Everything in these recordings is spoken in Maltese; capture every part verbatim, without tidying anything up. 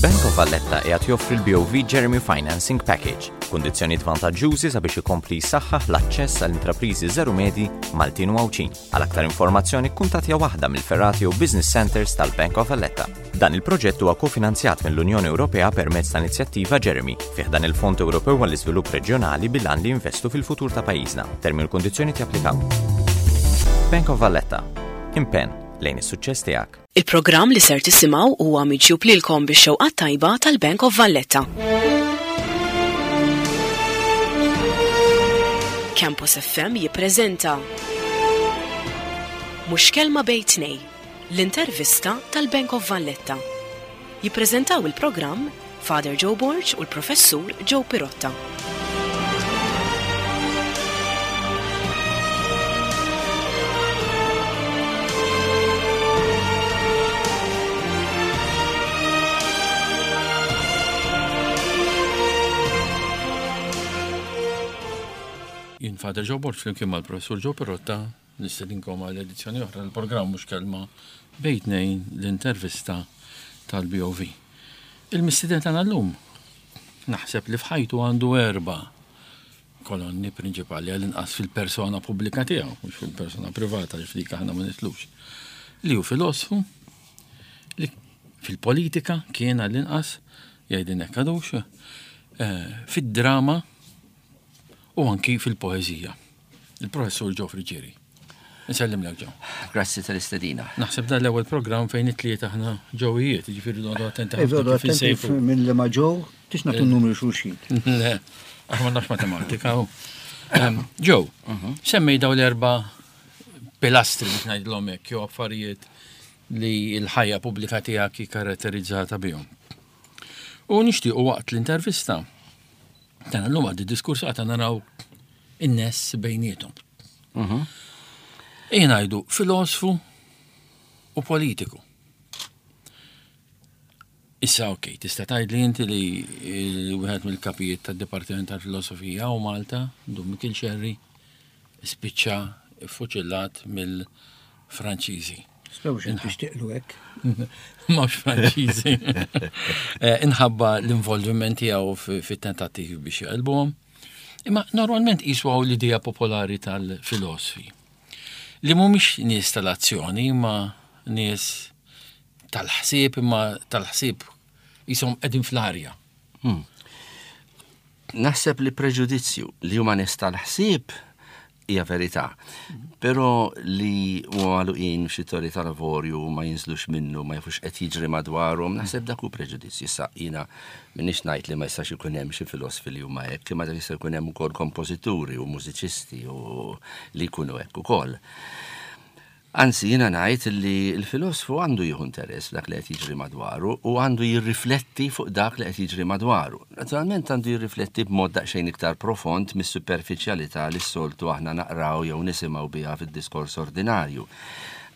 Il-Bank of Valletta qiegħed joffri l-B O V Jeremy Financing Package, kundizzjonijiet vantaġġużi sabiex ikompli jsaħħaħ l-aċċess għall intrapriżi żgħar u medji Maltin u Għawdxin. Għal aktar informazzjoni kuntattja waħda mill-fergħat jew business centers tal-Bank of Valletta. Dan il-proġett huwa kofinanzjat mill-Unjoni Ewropea permezz ta' inizjattiva Jeremy fi ħdan il-Fond Ewropew għall-Iżvilupp Reġjonali bil-għan li jinvestu fil-futur ta' pajjiżna. Termini u kundizzjoni japplikaw. Bank of Valletta. Impenn lejn is-suċċess tiegħek. Il-programm li ser tisimgħu huwa miġjub lilkom bix-xewqa tajba tal-Bank of Valletta. Campus F M jippreżenta Mhux Kelma Bejn Tnejn, l-intervista tal-Bank of Valletta. Jippreżentaw il-programm Father Joe Borg u l-Professur Joe Pirotta. Jien Father Joe Borg flimkien mal-Professur Joe Pirotta nistedinkom għal edizzjoni oħra l-programm Mhux Kelma Bejn Tnejn, l-intervista tal-B O V. Il-mistieden tagħna llum naħseb li f'ħajtu għandu erba' kolonni prinċipali, għall-inqas fil-persona pubblika tiegħu, mhux fil-persona privata li f'dik aħna ma nidħlux. Li hu filosfu, li fil-politika kien għall-inqas, jgħidin hekk għadux, eh, fid-drama u anki fil-poezija. Il-Professur Joe Friggieri. Nsellimlek, Joe. Grazzi tal-istedina. Naħseb dan l-ewwel programm fejn it-tlieta aħna ġewijiet, jiġifieri noqogħdu attenti Iva, ħafna kif attenti insejfu. Minn li ma ġew, tix nagħtu numru xulxin. Le, għax ma nafx matematika. u. Em, Joe, semmej daw l-erba pilastri biex ngħidlhom hekk, jew affarijiet li l-ħajja pubblika tiegħek hi karatterizzata bihom. U nixtiequ waqt l-intervista tagħna llum għaddi diskors għata naraw in-ness bejniethom. Ejja ngħidu filosfu u politiku. Issa ok, tista' tgħid li inti li wieħed mill-kapijiet tad-Dipartiment tal-Filosofija u Malta, Dun Mikiel Xerri, spiċċa fuċillat mill-Franċiżi. Spew xin tixtieqlu hekk. Mhux Franċiżi. Eh, Inħabba l-involviment tiegħu fi- fit-tentattivi biex jaqilbuhom. Imma normalment jiswaw l-idea popolari tal-filosfi. Li mhumiex nies tal-azzjoni, imma nies tal-ħsieb, imma tal-ħsieb jisom qegħdin fl-arja. Naħseb li preġudizzju li huma nies tal-ħsieb hija verità. Però li huma magħluqin f'xi torri tal-avorju, ma jinżlux minnu, ma jafux qed jiġri madwarhom, naħseb dak hu preġudizzju. Issa jiena m'iniex ngħid li ma jistax ikun hemm xi filosfi li huma hekk, imma dak jista' jkun hemm ukoll kompożituri u mużiċisti u li jkunu hekk ukoll. Anzi, jiena ngħid li l-filosfu għandu jieħu interess dak li qed jiġri madwaru u għandu jirrifletti fuq dak li qed jiġri madwaru. Naturalment għandu jirrifletti b'mod daqsxejn iktar profond mis-superfiċjalità li s-soltu aħna naqraw jew nisimgħu biha fid-diskors ordinarju.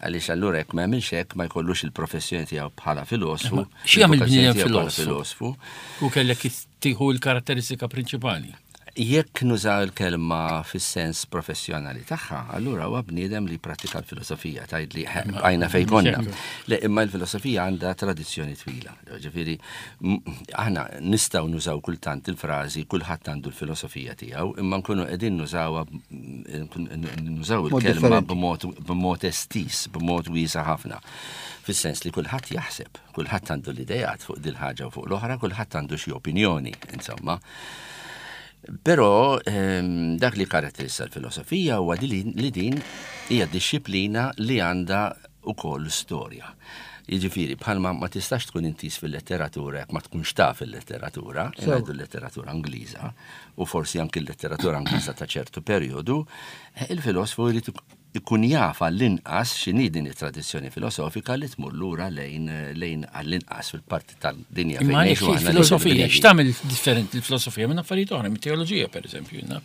Għaliex allura jekk ma jagħmilx hekk ma jkollux il-professjoni tiegħu bħala filosfu. Xi jagħmel il-vokazzjoni bniedem tiegħu bħala filosfu? Filosfu. U kellek tieħu l-karatteristika prinċipali. Jekk nużaw il-kelma fis-sens professjonali tagħha, allura huwa bniedem li pratika l-filosofija, tgħid li għajna fejn konna. Le, imma l-filosofija għandha tradizzjoni twila. Ġifieri, m- aħna nistgħu nużaw kultant il-frażi "kulħadd għandu l-filosofija tiegħu", imma nkunu qegħdin nużawha nużaw Mod il-kelma differenti. b'mod b'mod estis, b'mod wiesa ħafna. Fis-sens li kulħadd jaħseb, kulħadd għandu l-idejat fuq dil-ħaġa u fuq l-oħra, kulħadd għandu xi opinjoni, insomma. Però ehm, dak li karatterista l-filosofija huwa li, li din hija dixxiplina li għandha ukoll storja. Jiġifieri, bħalma ma tistax tkun intiż fil-letteratura jekk ma tkunx taf il-letteratura, Sew. ngħidu l-letteratura Ingliża, u forsi anki l-letteratura Ingliża ta' ċertu perjodu, eh, il-filosfu jrid ikun jaf għall-inqas x'inhi din it-tradizzjoni filosofika li tmur lura lejn lejn għall-inqas fil-parti tal-dinja Imma fejn għaliex ngħixu aħna lejn il-filosofija, il-Griegi. x'tagħmel differenti l-filosofija minn affarijiet oħra, mit-teoloġija pereżempju, jiena?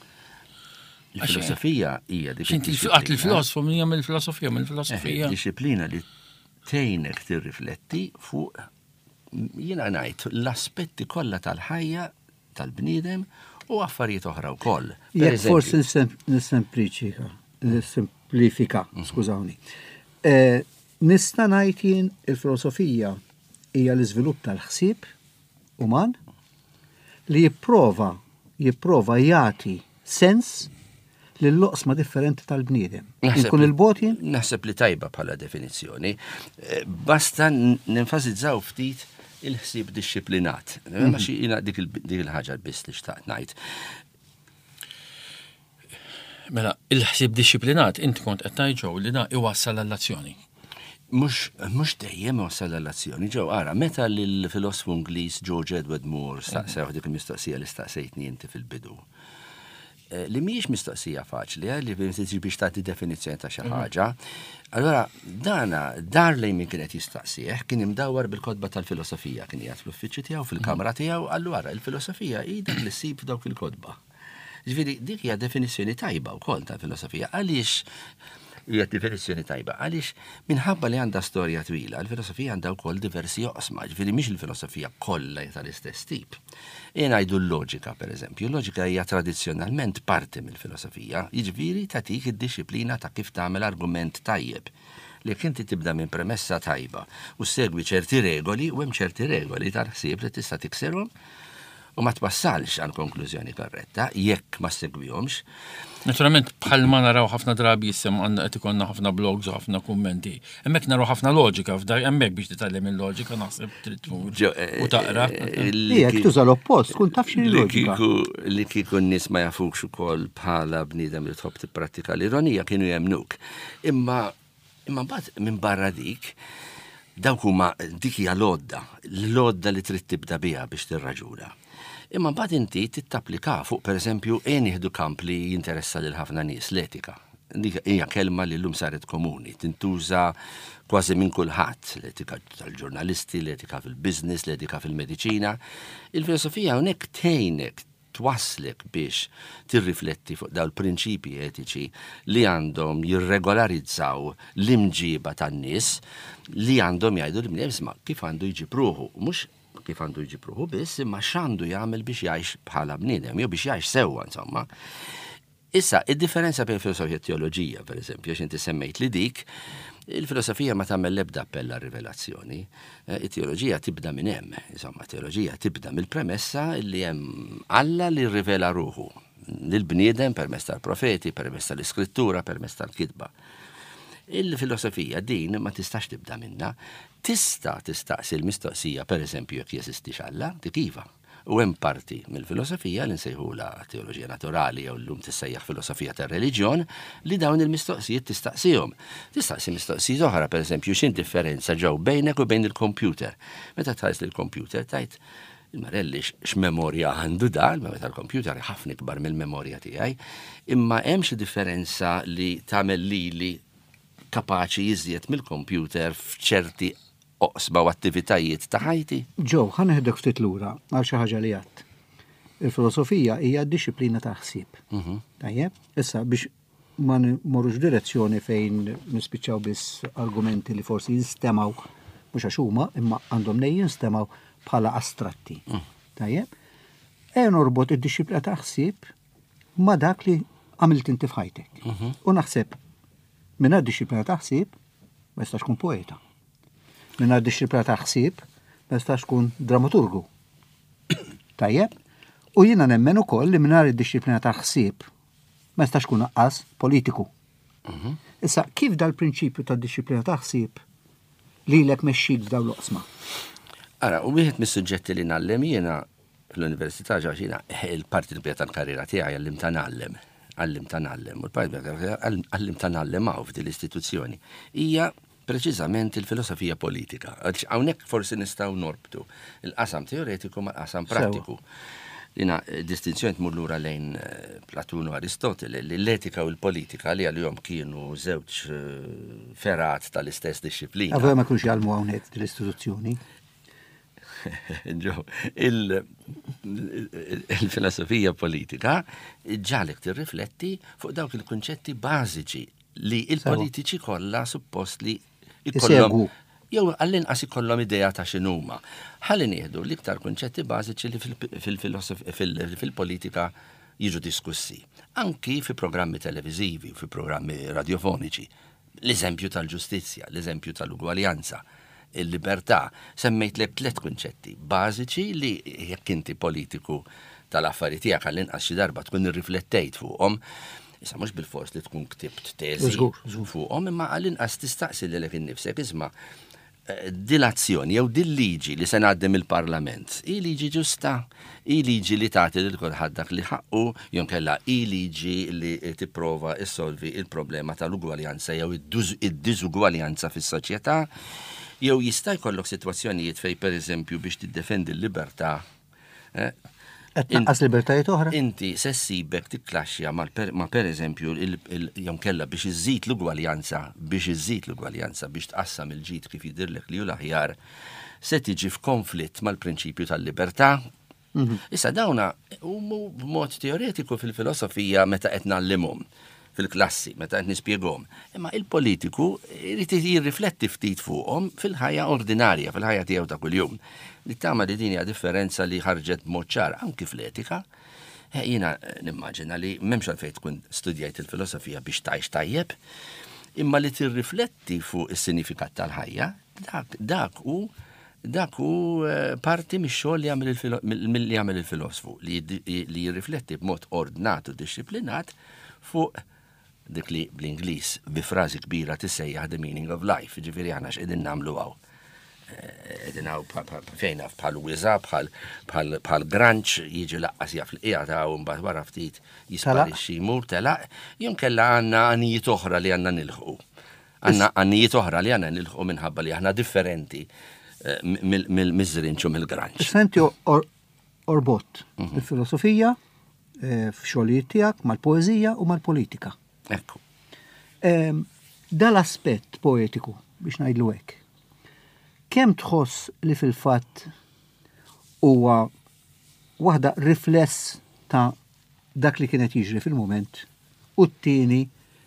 Il-filosofija hija dik X'inti għat il-filosfu min jagħmel il-filosofija mill filosofija. Eh, Dixxiplina li tgħinek tirrifletti fuq, jiena ngħid, l-aspetti kollha tal-ħajja tal-bniedem u affarijiet oħra wkoll. Per Jekk eżempju, forsi nisem- nissempliċika, nissemplifika, skużawni. Eh, Nista' ngħid jien il-filosofija hija l-iżvilupp tal-ħsieb uman li jipprova jipprova jagħti sens lill-oqsma differenti tal-bniedem. Inkun il-bogħod jien? Naħseb li tajba bħala definizzjoni. Eh, basta nenfasizzaw ftit il-ħsieb dixxiplinat. Ma xi jiena dik il-ħaġa biss li xtaqt ngħid. Mela, il-ħsieb dixxiplinat inti kont qed tgħid li da iwassal għall-azzjoni. Mhux, mhux dejjem iwassal għall-azzjoni, ġew ara, meta l-filosfu Ingliż George Edward Moore staqsew dik il-mistoqsija li staqsejtni inti fil-bidu. Eh, li mhijiex mistoqsija faċli, eh, li biex tagħti definizzjoni ta' xi mhm. ħaġa. Allora, dana, dar lejn min kien qed jistaqsih, kien imdawwar bil-kotba tal-filosofija, kien qiegħed fl-uffiċċju tiegħu, fil-kamra mhm. tiegħu, allura il-filosofija hi dak li ssib f'dawk il-kotba. Ġifieri, dik hija definizzjoni tajba wkoll tal-filosofija. Għaliex hija definizzjoni tajba? Għaliex minħabba li għandha storja twila, il-filosofija għandha wkoll diversi oqsma, ġifieri mhix il-filosofija kollha tal-istess tip. Jien ngħidu l-loġika, pereżempju, l-loġika hija tradizzjonalment parti mill-filosofija, jiġifieri tagħtik id-dixxiplina ta' kif tagħmel argument tajjeb. Li jekk inti tibda minn premessa tajba u segwi ċerti regoli, u hemm ċerti regoli tal-ħsieb li tista' tiksirhom u ma twassalx għal konklużjoni korretta jekk ma segwihomx. Naturalment, bħalma naraw ħafna drabi jissem għandna qed ikollna ħafna blogs u ħafna kummenti. Hemmhekk naraw ħafna loġika f'dak hemmhekk biex titgħallem il-loġika naħseb trid tmur u taqra. Jekk tuża l-oppost, tkun taf x'inhi loġika. Li kieku n-nies ma jafukx ukoll bħala bniedem li tħobb tipprattika l-ironija kienu jemnuk. Imma imma mbagħad minn barra dik, dawk huma dik hija l-għodda, l-għodda li trid tibda biha biex tirraġuna. Imma mbagħad inti tittapplika fuq pereżempju ejja nieħdu kamp li jinteressa lil ħafna nies, l-etika. Dik hija kelma li llum saret komuni, tintuża kważi minn kulħadd, l-etika tal-ġurnalisti, l-etika fil-business, l-etika fil-mediċina. Il-filosofija hawnhekk tgħinek twasslek biex tirrifletti fuq dawn il-prinċipji etiċi li għandhom jirregolarizzaw l-imġiba tan-nies li għandhom jgħidu li bniedem isma' kif għandu jġib ruħu, mhux kif għandu jġib ruħu biss, imma x'għandu jagħmel biex jgħix bħala bniedem, jew biex jgħix sewwa, insomma. Issa, id-differenza bejn filosofija u teoloġija, per eżempju, għax inti semmejt li dik, il-filosofija ma tagħmel l-ebda appell għar-rivelazzjoni. Eh, it-teoloġija tibda minn hemm, insomma, teoloġija tibda mill-premessa li hemm Alla li rivela ruħu lill-bniedem permezz tal-profeti, permezz tal-iskrittura, permezz tal-kitba. Il-filosofija din ma tistax tibda minna, tista' tistaqsi l-mistoqsija, per eżempju, jekk jeżistix Alla, dik iva. U hemm parti mill-filosofija li nsejħula teoloġija naturali jew llum tissejjaħ filosofija tar-reliġjon li dawn il-mistoqsijiet tistaqsihom. Tistaqsi mistoqsijiet oħra, per eżempju, x'in differenza ġew bejnek u bejn il-computer. Meta tħares lill-computer tajt il-marelli x'memorja għandu da, il-memorja tal-computer ħafna ikbar mill-memorja tiegħi, imma hemm xi differenza li tagħmel lili kapaċi jiżjed mill-computer f'ċerti oqsma u attivitajiet ta' ħajti. Ġew, ħa neħdek ftit lura għal xi ħaġa li għadt. Il-filosofija hija dixxiplina ta' ħsieb. Mhm. Tajjeb, issa biex ma nmorrux direzzjoni fejn nispiċċaw biss argumenti li forsi jinstemaw mhux għax huma imma għandhom nej jinstemaw bħala astratti. Mm. Tajjeb, e norbot id-dixxiplina ta' ħsieb ma' dak li għamilt inti f'ħajtek. Mhm. U naħseb mingħajr dixxiplina ta' ħsieb ma jistax tkun poeta. Mingħajr dixxiplina ta' ħsieb ma jistax tkun dramaturgu. Tajjeb, u jiena nemmen ukoll li mingħajr id-dixxiplina ta' ħsieb ma jistax tkun aqqas politiku. Mhm. Issa, kif dal-prinċipju ta' dixxiplina ta' ħsieb lilek mexxik f'dawn l-oqsma? Ara, u wieħed mis-suġġetti li ngħallem jiena fl-università ġa jiena il-parti l-kbira tal-karriera tiegħi għallim ta' ngħallem, għallim ta' ngħallem, u l-parti kbira għallim ta' ngħallem hawn f'din l-istituzzjoni hija preċiżament il-filosofija politika. Għaliex hawnhekk forsi nistgħu norbtu il-qasam teoretiku ma' qasam Sewa. prattiku. Lina distinzjoni tmur lura lejn, eh, Platun u Aristotele, li l-etika u l-politika li għalihom kienu żewġ, eh, ferat tal-istess disċiplina. Għavra ma kienux jgħallmu hawnhekk l-istituzzjoni. Ġo, il-, il-filosofija politika ġalek tirrifletti fuq dawk il-kunċetti bażiċi li il-politiċi kollha suppost li ikollhom Isegwu. jew għall-inqas ikollhom idea ta' x'inhuma. Ħalli nieħdu l-iktar kunċetti bażiċi li fil-, fil-filosof-, fil-, fil-politika jiġu diskussi. Anki fi programmi televiżivi u fi programmi radiofoniċi. L-eżempju tal-ġustizzja, l-eżempju tal-ugwaljanza. il-libertà. Semmejtlek tliet kunċetti bażiċi li jekk inti politiku tal-affari tiegħek, għall-inqas xi darba tkun irriflettejt fuqhom. Issa mhux bil-fors li tkun ktibt teżi Żgur, żgur. fuqhom, imma għall-inqas tistaqsi lilek innifsek, isma', eh, dil-azzjoni jew dil-liġi li se ngħaddi mill-Parlament, hi liġi ġusta, hi liġi li tagħti lil kulħadd dak li ħaqqu, jew kella hi liġi li tipprova issolvi il-problema tal-ugwaljanza jew id-diżugwaljanza fis-soċjetà, jew jista' jkollok sitwazzjonijiet fejn, pereżempju, biex tiddefendi l-libertà eh, Qed tnaqqas libertajiet oħra? Inti se ssibek tikklaxxja ma per eżempju jew kella biex iżżid l-ugwaljanza, biex iżżid l-ugwaljanza, biex tqassam il-ġid kif jidirlek li hu l-aħjar, se tiġi f'konflitt mal-prinċipju tal-libertà. Mhm. Issa dawna huma b'mod teoretiku fil-filosofija meta qed ngħallimhom fil-klassi, meta qed nispjegahom. Imma il-politiku irid jirrifletti ftit fuqhom fil-ħajja ordinarja, fil-ħajja tiegħu ta' kuljum. Nittama li din hija differenza li ħarġet b'mod ċar anki fl-etika. Eh, jiena nimmaġina li m'hemmx għalfejn tkun studjajt il-filosofija biex tgħix tajjeb, imma li tirrifletti fuq is-sinifikat tal-ħajja, dak dak hu dak hu eh, parti mix-xogħol li jagħmel il-filosfu, li jirrifletti b'mod ordnat u dixxiplinat fuq dik li bl-Ingliż bi frażi kbira tissejjaħ "the meaning of life", ġifieri aħna x'qegħdin nagħmlu hawn. Eh, qegħdin hawn fejna bħal wiża, bħal granċ jiġi lanqas jaf l-qiegħda ta' u mbagħad wara ftit jisparixxi, jmur telaq, jew kella għandna għanijiet oħra li għandna nilħqu. Għandna għanijiet oħra li għandna nilħqu minħabba li aħna differenti eh, miż-żrinġ u mill-granċ. Senti, orbot mhm. il-filosofija eh, f'xogħlijiet tiegħek mal-poeżija u mal-politika. Ekku. Dal-aspett poetiku, biex ngħidlu hekk, kemm tħoss li fil-fatt huwa waħda rifless ta' dak li kienet jiġri fil-moment u t-tieni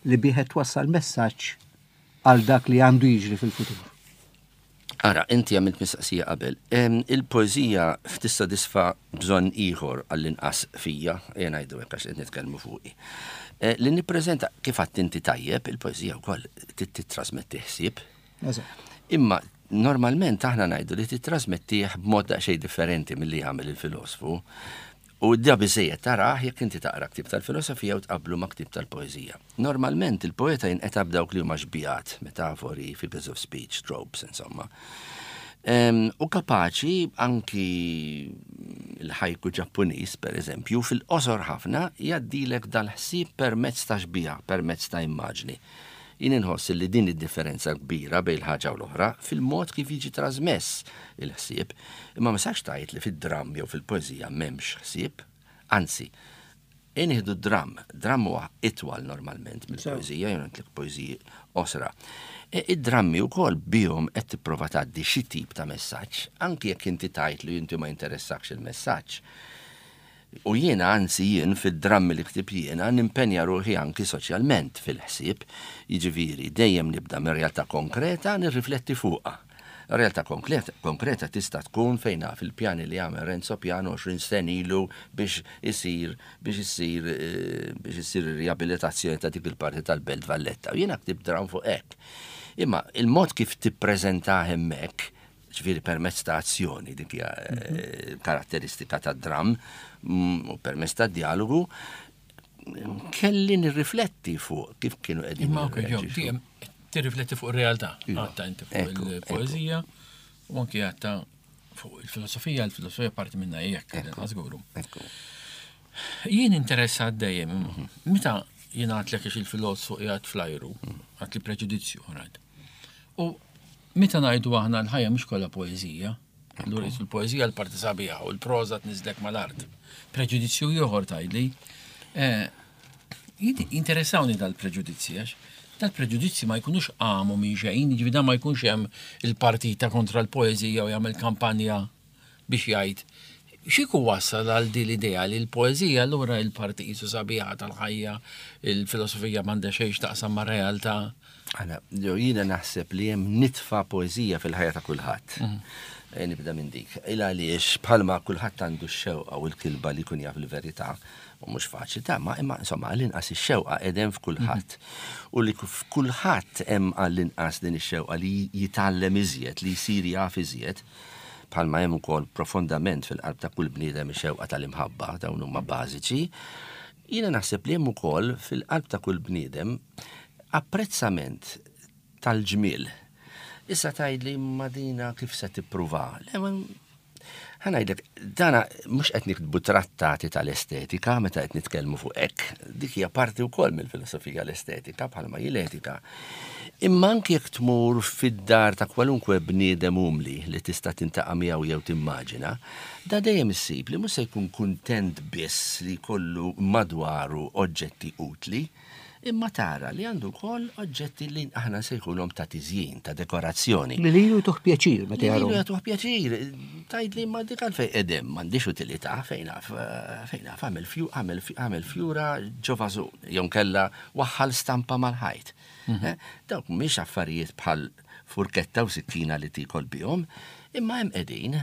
li bih twassal messaġġ għal dak li għandu jiġri fil-futur? Ara, inti għamilt mistaqsija qabel. Il-poezija tissodisfa bżonn ieħor, għall-inqas fija, jien ngħidu hekk għax qed nitkellmu fuqi. Eh, li nippreżenta, kif għedt inti tajjeb, il-poezija wkoll titrasmetti ħsieb. Imma normalment aħna ngħidu li titrasmettih b'mod daqsxejn differenti milli jagħmel il-filosfu. U da biżejjed tarah jekk inti taqra ktib tal-filosofija u tqablu ma' ktib tal-poezija. Normalment il-poeta jinqeta b'dawk li huma xbihat, metafori, figures of speech, tropes, insomma. U kapaċi anki l-ħajku Ġappuniż, per eżempju, fil-qosor ħafna jgħaddilek dal-ħsieb permezz ta' xbieha, permezz ta' immaġni. Jien inħoss li din id-differenza kbira bejn il-ħaġa u l-oħra fil-mod kif jiġi trasmess il-ħsieb, imma ma sax tgħid li fid-dramm jew fil-poeżija m'hemmx ħsieb, anzi, nieħdu dramm, dramm huwa itwal normalment mill-poeżija, jew ngħidlek poeżiji qosra. E, id-drammi wkoll bihom qed tipprova tgħaddi xi tip ta' messaġġ, anki jekk inti tgħid li inti ma jinteressakx il-messaġġ. U jiena, anzi, jien fid-drammi li ktibt jiena nimpenja ruħi anki soċjalment fil-ħsieb, jiġifieri dejjem nibda minn realtà konkreta, nirrifletti fuqha. Realtà konkreta, konkreta tista' tkun fejna fil-pjani li għamel Renzo Piano għoxrin sena ilu biex isir biex isir eh, biex isir riabilitazzjoni ta' dik il-parti tal-Belt Valletta. U jiena ktibt dramm fuq hekk. Imma il-mod kif tippreżenta hemmhekk, ġifieri permezz ta' azzjoni, dik hija eh, karatteristika ta' dramm, mm, u permezz ta' dialogu, kelli nirrifletti fuq kif kienu qegħdin Imma ok, ġo, jirreaġixxu. Tirrifletti fuq ir-realtà. Iva. Għedtha inti fuq Ekku, il-poezija u anki għedtha fuq il-filosofija, il-filosofija parti minna jekk, żguru. Ekku. Jien interessat dejjem, meta jien għedtlek il-filosofu qiegħed fl-ajru, għedt li preġudizzju, right? U meta ngħidu aħna l-ħajja mhux kollha poeżija, allura il-poeżija l-parti sabiħa u l-proża tniżlek mal-art. Preġudizzju ieħor tgħidli. Eh, Interessawni dal-preġudizzji, għax dal-preġudizzji ma jkunux qamu minn xejn, ġifieri dan ma jkunx hemm il-partita kontra l-poeżija u jagħmel kampanja biex jgħid xieku wassal għal din l-idea li l-poeżija allura il-parti qisu sabiħa tal-ħajja, il-filosofija m'għandha xejn x'taqsam ma' realtà. Għana, ġo, jiena naħseb li hemm nitfa poeżija fil-ħajja ta' kulħadd. Eh, nibda minn dik. Il għaliex bħalma kulħadd għandu x-xewqa u l-kilba li jkun jaf il-verità, u mhux faċli ta' ma imma insomma għall-inqas ix-xewqa qegħdem f'kulħadd. U li f'kulħadd hemm għall-inqas din ix-xewqa li jitgħallem iżjed, li jsir jaf iżjed, bħalma hemm ukoll profondament fil-qalb ta' kull bniedem ix-xewqa tal-imħabba, dawn huma bażiċi. Jiena naħseb li hemm ukoll fil-qalb ta' kull bniedem apprezzament tal-ġmiel. Issa tgħidli ma dina kif se tippruva? Le, ma ħa ngħidlek, dana mhux qed niktbu trattati tal-estetika meta qed nitkellmu fuq hekk. Dik hija parti wkoll mill-filosofija l-estetika bħalma hi l-etika. Imma anke jekk tmur fid-dar ta' kwalunkwe bniedem umli li tista' tintaqa' miegħu jew timmaġina, da dejjem issib li mhux se jkun kuntent biss li jkollu madwaru oġġetti utli, imma tara li għandu wkoll oġġetti li aħna nsejħulhom ta' tiżjin, ta' dekorazzjoni. Li lilu jtuh pjaċir meta Li lilu jarahom. jagħtuh pjaċir. Tgħid li ma dik għalfejn qedem, m'għandix utilità, fejn naf, fejn naf, għamel fju, għamel fju, għamel fjura ġo vażun, jew kella waħħal stampa mal-ħajt. Eh, Dawk mhix affarijiet bħal furketta u sikkina li tikol bihom, imma hemm qegħdin.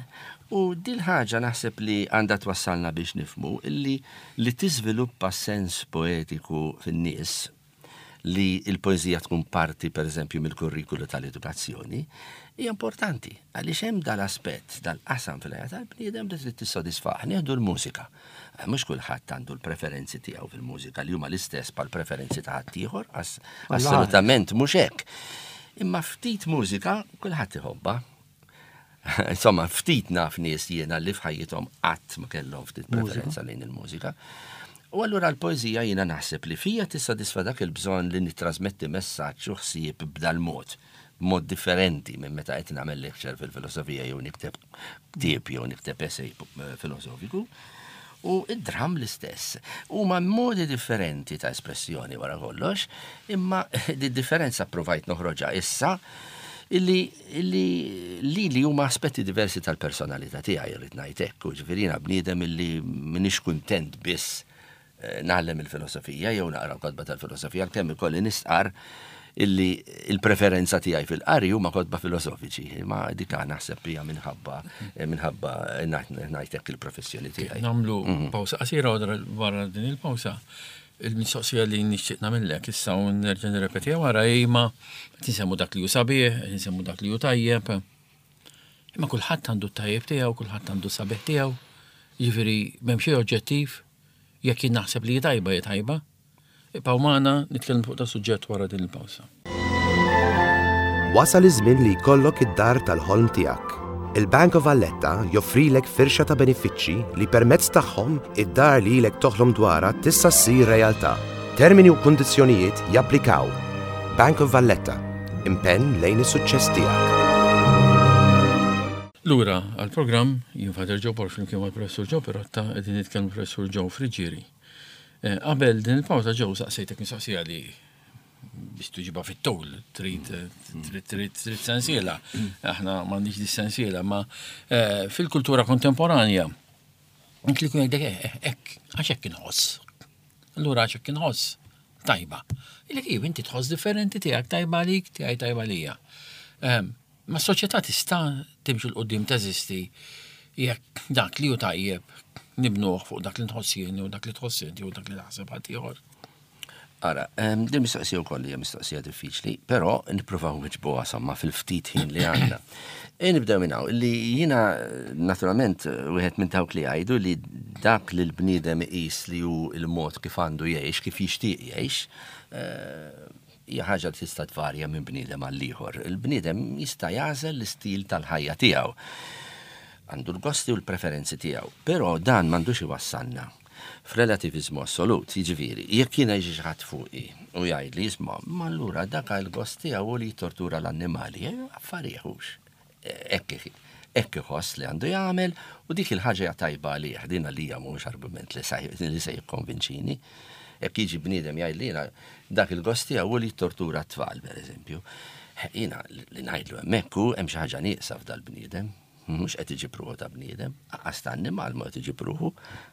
U dil ħaġa naħseb li għandha twassalna biex nifhmu illi li tiżviluppa sens poetiku fin-nies, li il-poezija tkun parti per eżempju mill-kurrikulu tal-edukazzjoni, hija importanti għaliex hemm dal-aspett, dal-qasam fil-ħajja tal-bniedem li trid tissodisfah. Nieħdu l-mużika. Eh, Mhux kulħadd għandu l-preferenzi tiegħu fil-mużika li huma l-istess bħal preferenzi ta' ħaddieħor, ass- assolutament mhux hekk. Imma ftit mużika kulħadd iħobbha. Insomma, ftit naf nies jiena li f'ħajjithom qatt ma kellhom ftit preferenza lejn il-mużika. U allura l-poezija jiena naħseb li fija tissodisfa dak il-bżonn li nittrasmetti messaġġ u ħsieb b'dal-mod, b'mod differenti minn meta qed nagħmel lecture fil-filosofija jew nikteb ktieb jew nikteb essay eh, filosofiku. U id-dram l-istess. Huma modi differenti ta' espressjoni wara kollox, imma di differenza provajt noħroġha issa illi, illi li li huma aspetti diversi tal-personalità tiegħi, irrid ngħid hekk, u ġifieri jiena bniedem illi m'iniex kuntent biss eh, ngħallem il-filosofija jew naqra kotba tal-filosofija, għalkemm ikolli nistqar illi il-preferenza tiegħi fil-qari huma kotba filosofiċi, ma dik naħseb hija minħabba minħabba ngħid hekk il-professjoni tiegħi. Nagħmlu pawsa qasira u wara din il-pawsa il-mistoqsija li nixtieq nagħmellek issa u nerġa' nirrepetiha wara imma qed insemmu dak li hu sabiħ, qed insemmu dak li hu tajjeb. Imma kulħadd għandu t-tajjeb tiegħu, kulħadd għandu sabiħ tiegħu. Jiġifieri m'hemm xejn oġġettiv, jekk jien naħseb li hi tajba, hi tajba. Ibqgħu magħna, nitkellmu fuq da suġġett wara din il-pawsa. Wasal iż-żmien li jkollok id-dar tal-ħolm tiegħek. Il-Bank of Valletta joffrilek firxa ta' benefiċċji li permezz tagħhom id-dar li ilek toħlom dwarha tista' ssir realtà. Termini u kundizzjonijiet japplikaw. Bank of Valletta, impenn lejn is-suċċess tiegħek. Lura għal-programm, jien Father Joe Borg flimkien mal-Professur Joe Pirotta, qegħdin nitkellmu Professur Joe Friggieri. Eh, Qabel din il-pawsa, Joe, saqsejtek mistoqsija li biex tuġiba fit-tul, trid trid trid trid sensiela. Aħna m'għandix di sensiela, ma eh, fil-kultura kontemporanja inti li kun jgħidlek eh, hekk, għax hekk inħoss. Allura għax hekk inħoss, tajba. Ilek iv, inti tħoss differenti, tiegħek tajba għalik, tiegħi tajba lija. Ehm, Ma s-soċjetà tista' timxi 'l quddiem, teżisti, jekk dak li hu tajjeb nibnuh fuq dak li nħoss jien u dak li tħoss inti u dak li taħseb ħadd ieħor? Ara, em, din mistoqsija wkoll hija mistoqsija diffiċli, però nippruvaw nwiġbuha somma fil-ftit ħin li għandna. E nibdew minn hawn, li jiena naturalment wieħed minn dawk li jgħidu li dak li l-bniedem iqis li hu il-mod kif għandu jgħix, kif jixtieq jgħix, eh, hija ħaġa li tista' tvarja minn bniedem għal ieħor. Il-bniedem jista' jagħżel l-istil tal-ħajja tiegħu. Għandu l-gosti u l-preferenzi tiegħu, però dan m'għandux iwassalna f'relativizmu assolut, jiġifieri, jekk jiena jiġi xi ħadd fuqi u jgħid li jisma', ma allura dak il-gost tiegħu li jittortura l-annimali, eh, affarijiet hux. Hekk hekk iħoss li għandu jagħmel u dik il-ħaġa hija tajba għalih, din għalija mhux argument li li se jikkonvinċini. Jekk jiġi bniedem jgħid li jiena dak il-gost tiegħu li jittortura t-tfal, pereżempju. Jiena li ngħidlu hemmhekk hu hemm xi ħaġa nieqsa f'dal-bniedem. Mhux qed iġib ruħu ta' bniedem, anqas ta' annimal ma qed iġib ruħu,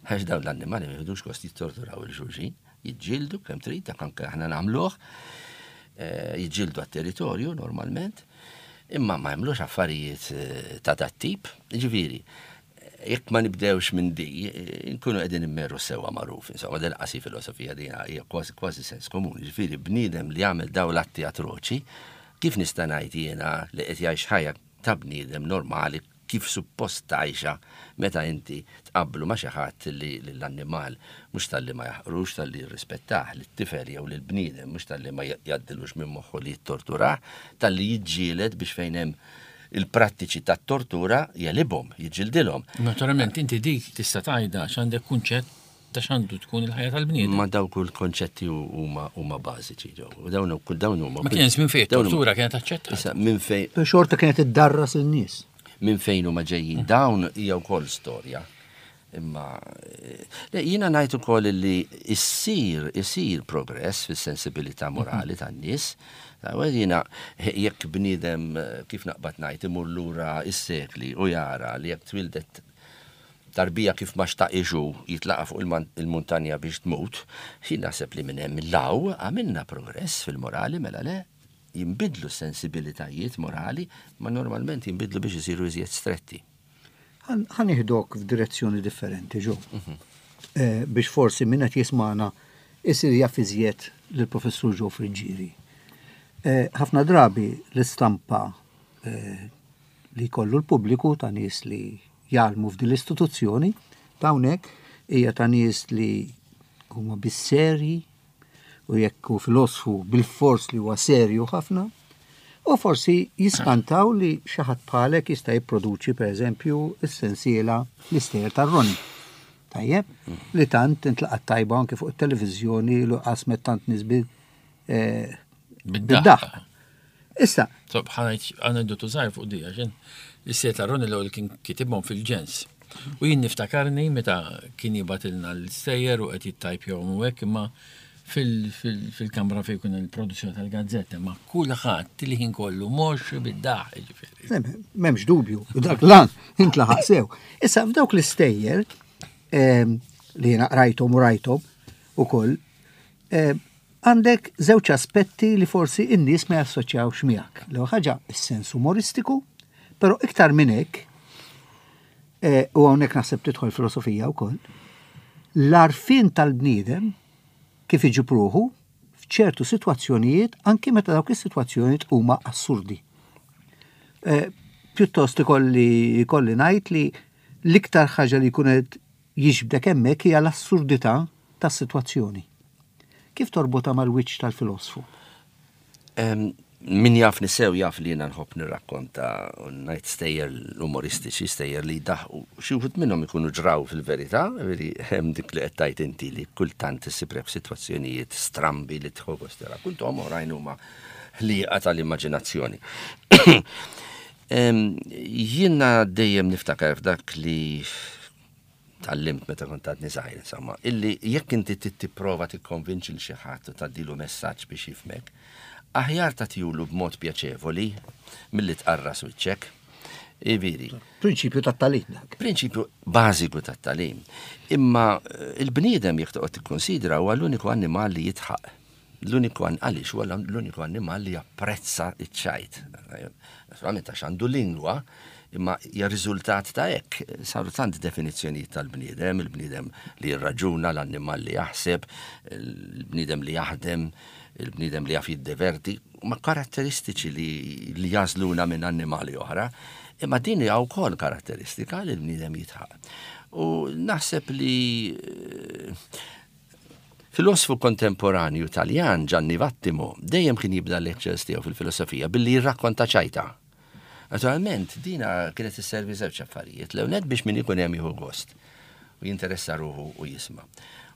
għax dawn l-annimali ma jieħdux gost jittorturaw lil xulxin, jiġġieldu kemm trid, dak anke aħna nagħmluh, eh, jiġġieldu għat-territorju normalment. Imma ma jagħmlux affarijiet eh, ta' dat tip, ġifieri, jekk ma nibdewx minn di, eh, nkunu qegħdin immerru sewwa magħruf, insomma, del qasi filosofija dina hija kważi kważi sens komuni. Ġifieri bniedem li jagħmel dawn l-atti atroċi, kif nista' ngħid jiena li qed jgħix ħajja ta' bniedem normali kif suppost tgħixha meta inti tqabblu ma' xi ħadd li l-annimal mhux talli ma jaħqrux, talli jirrispettah, li t-tifel jew lil bniedem mhux talli ma jgħaddilux minn moħħu li jittorturah, talli jiġġieled biex fejn hemm il-prattiċi tat-tortura jegħlibhom, jiġġildilhom. Naturalment, inti dik tista' tgħidha x'għandek kunċett ta' x'għandu tkun il-ħajja tal-bniedem. Ma dawk kull konċetti huma huma bażiċi ġew. U dawn kull dawn huma. Ma kien minn fejn dawn huma- tortura kienet aċċettata. Issa minn fejn Xorta kienet iddarras il-nies. Minn fejn huma ġejjin dawn hija wkoll storja. Imma eh, le, jiena ngħid ukoll li issir isir progress fis-sensibilità morali tan-nies. Jiena jekk bniedem eh, kif naqbad ngħid imur lura is-sekli u jara li jekk twildet tarbija kif ma xtaqixu jitlaqa fuq il-man- il-muntanja biex tmut, jien naħseb li minn hemm law għamilna progress fil-morali, mela le, jimbidlu sensibilitajiet morali, ma normalment jimbidlu biex isiru iżjed stretti. Ħa nieħdok f'direzzjoni differenti, Joe. Eh, biex forsi min qed jismana isir jaf iżjed lill-professur Joe Friggieri. Eh, Ħafna drabi l-istampa eh, li kollu l-pubbliku ta' nies li jgħallmu f'din l-istituzzjoni ta' hawnhekk hija ta' nies li huma bis-serji u jekk hu filosfu bil-fors li huwa serju ħafna, u forsi jiskantaw li xi ħadd bħalek jista' jipproduċi pereżempju s-sensiela l-istejjer tar-Ronnie. Tajjeb, li tant intlaqat tajba anke fuq it-televiżjoni li qasmet tant nies bil eh, Bid-daħq. Issa, So, ħa ngħid aneddotu żgħir fuq di, għaxin l-istejjer tar-Ronnie l-ewwel kien kitibhom fil-Ġens. U jien niftakarni meta kien jibgħatilna l-istejjer u qed jittajpjahom u hekk, imma fil-kamra fejn kun il-produzzjoni tal-gazzetta, ma kulħadd li ħin kollu mhux bid-daħk, ġifieri. M'hemmx dubju, dak lan intlaħaq sew. Issa f'dawk l-istejjer em, li jiena qrajthom u rajthom ukoll, em, għandek żewġ aspetti li forsi in-nies ma jassoċjawx miegħek. L-ewwel ħaġa is-sens umoristiku, però iktar minn hekk, eh, u hawnhekk naħseb tidħol filosofija wkoll, l-għarfien tal-bniedem kif iġib ruħu f'ċertu sitwazzjonijiet anki meta dawk is-sitwazzjonijiet huma assurdi. Eh, Pjuttost ikolli ikolli ngħid li l-iktar ħaġa li jkun qed jiġbdek hemmhekk hija l-assurdità tas-sitwazzjoni. Kif torbotha mal-wiċċ tal-filosfu? Em, Min jafni sew jaf li jiena nħobb nirrakkonta u ngħid stejjer umoristiċi, stejjer li daħqu. Xi wħud minnhom ikunu ġraw fil-verità, veri hemm dik li qed tgħid inti li kultant issib sitwazzjonijiet strambi li tieħu gost tirrakkontom, oħrajn huma ħliqa tal-immaġinazzjoni. Em, Jiena dejjem niftakar f'dak li tgħallimt meta kont għadni żgħir, insomma, illi jekk inti trid tipprova tikkonvinċi lil xi ħadd u tgħaddilu messaġġ biex jifhmek, aħjar tagħtihulu b'mod pjaċevoli milli tqarras wiċċek. Iviri. Prinċipju tat-tagħlim dak. Prinċipju bażiku tat-tagħlim. Imma eh, il-bniedem jekk toqgħod tikkonsidra huwa l-uniku annimal li jidħaq. L-uniku an- għaliex huwa l-uniku annimal li japprezza iċ-ċajt. Naturalment għax għandu lingwa, imma hija riżultat ta' hekk. Saru tant definizzjonijiet tal-bniedem, il-bniedem li jirraġuna, l-annimal li jaħseb, il-bniedem li jaħdem, il-bniedem li jaf jiddeverti, ma karatteristiċi li, li jagħżluna minn annimali oħra, imma din hija wkoll karatteristika li l-bniedem jidħaq. U naħseb li eh, filosfu kontemporanju Taljan Gianni Vattimo dejjem kien jibda lectures tiegħu fil-filosofija billi jirrakkonta ċajta. Naturalment, dina kienet isservi żewġ affarijiet. L-ewwel biex min ikun hemm jieħu gost u jinteressa ruħu u jisma'.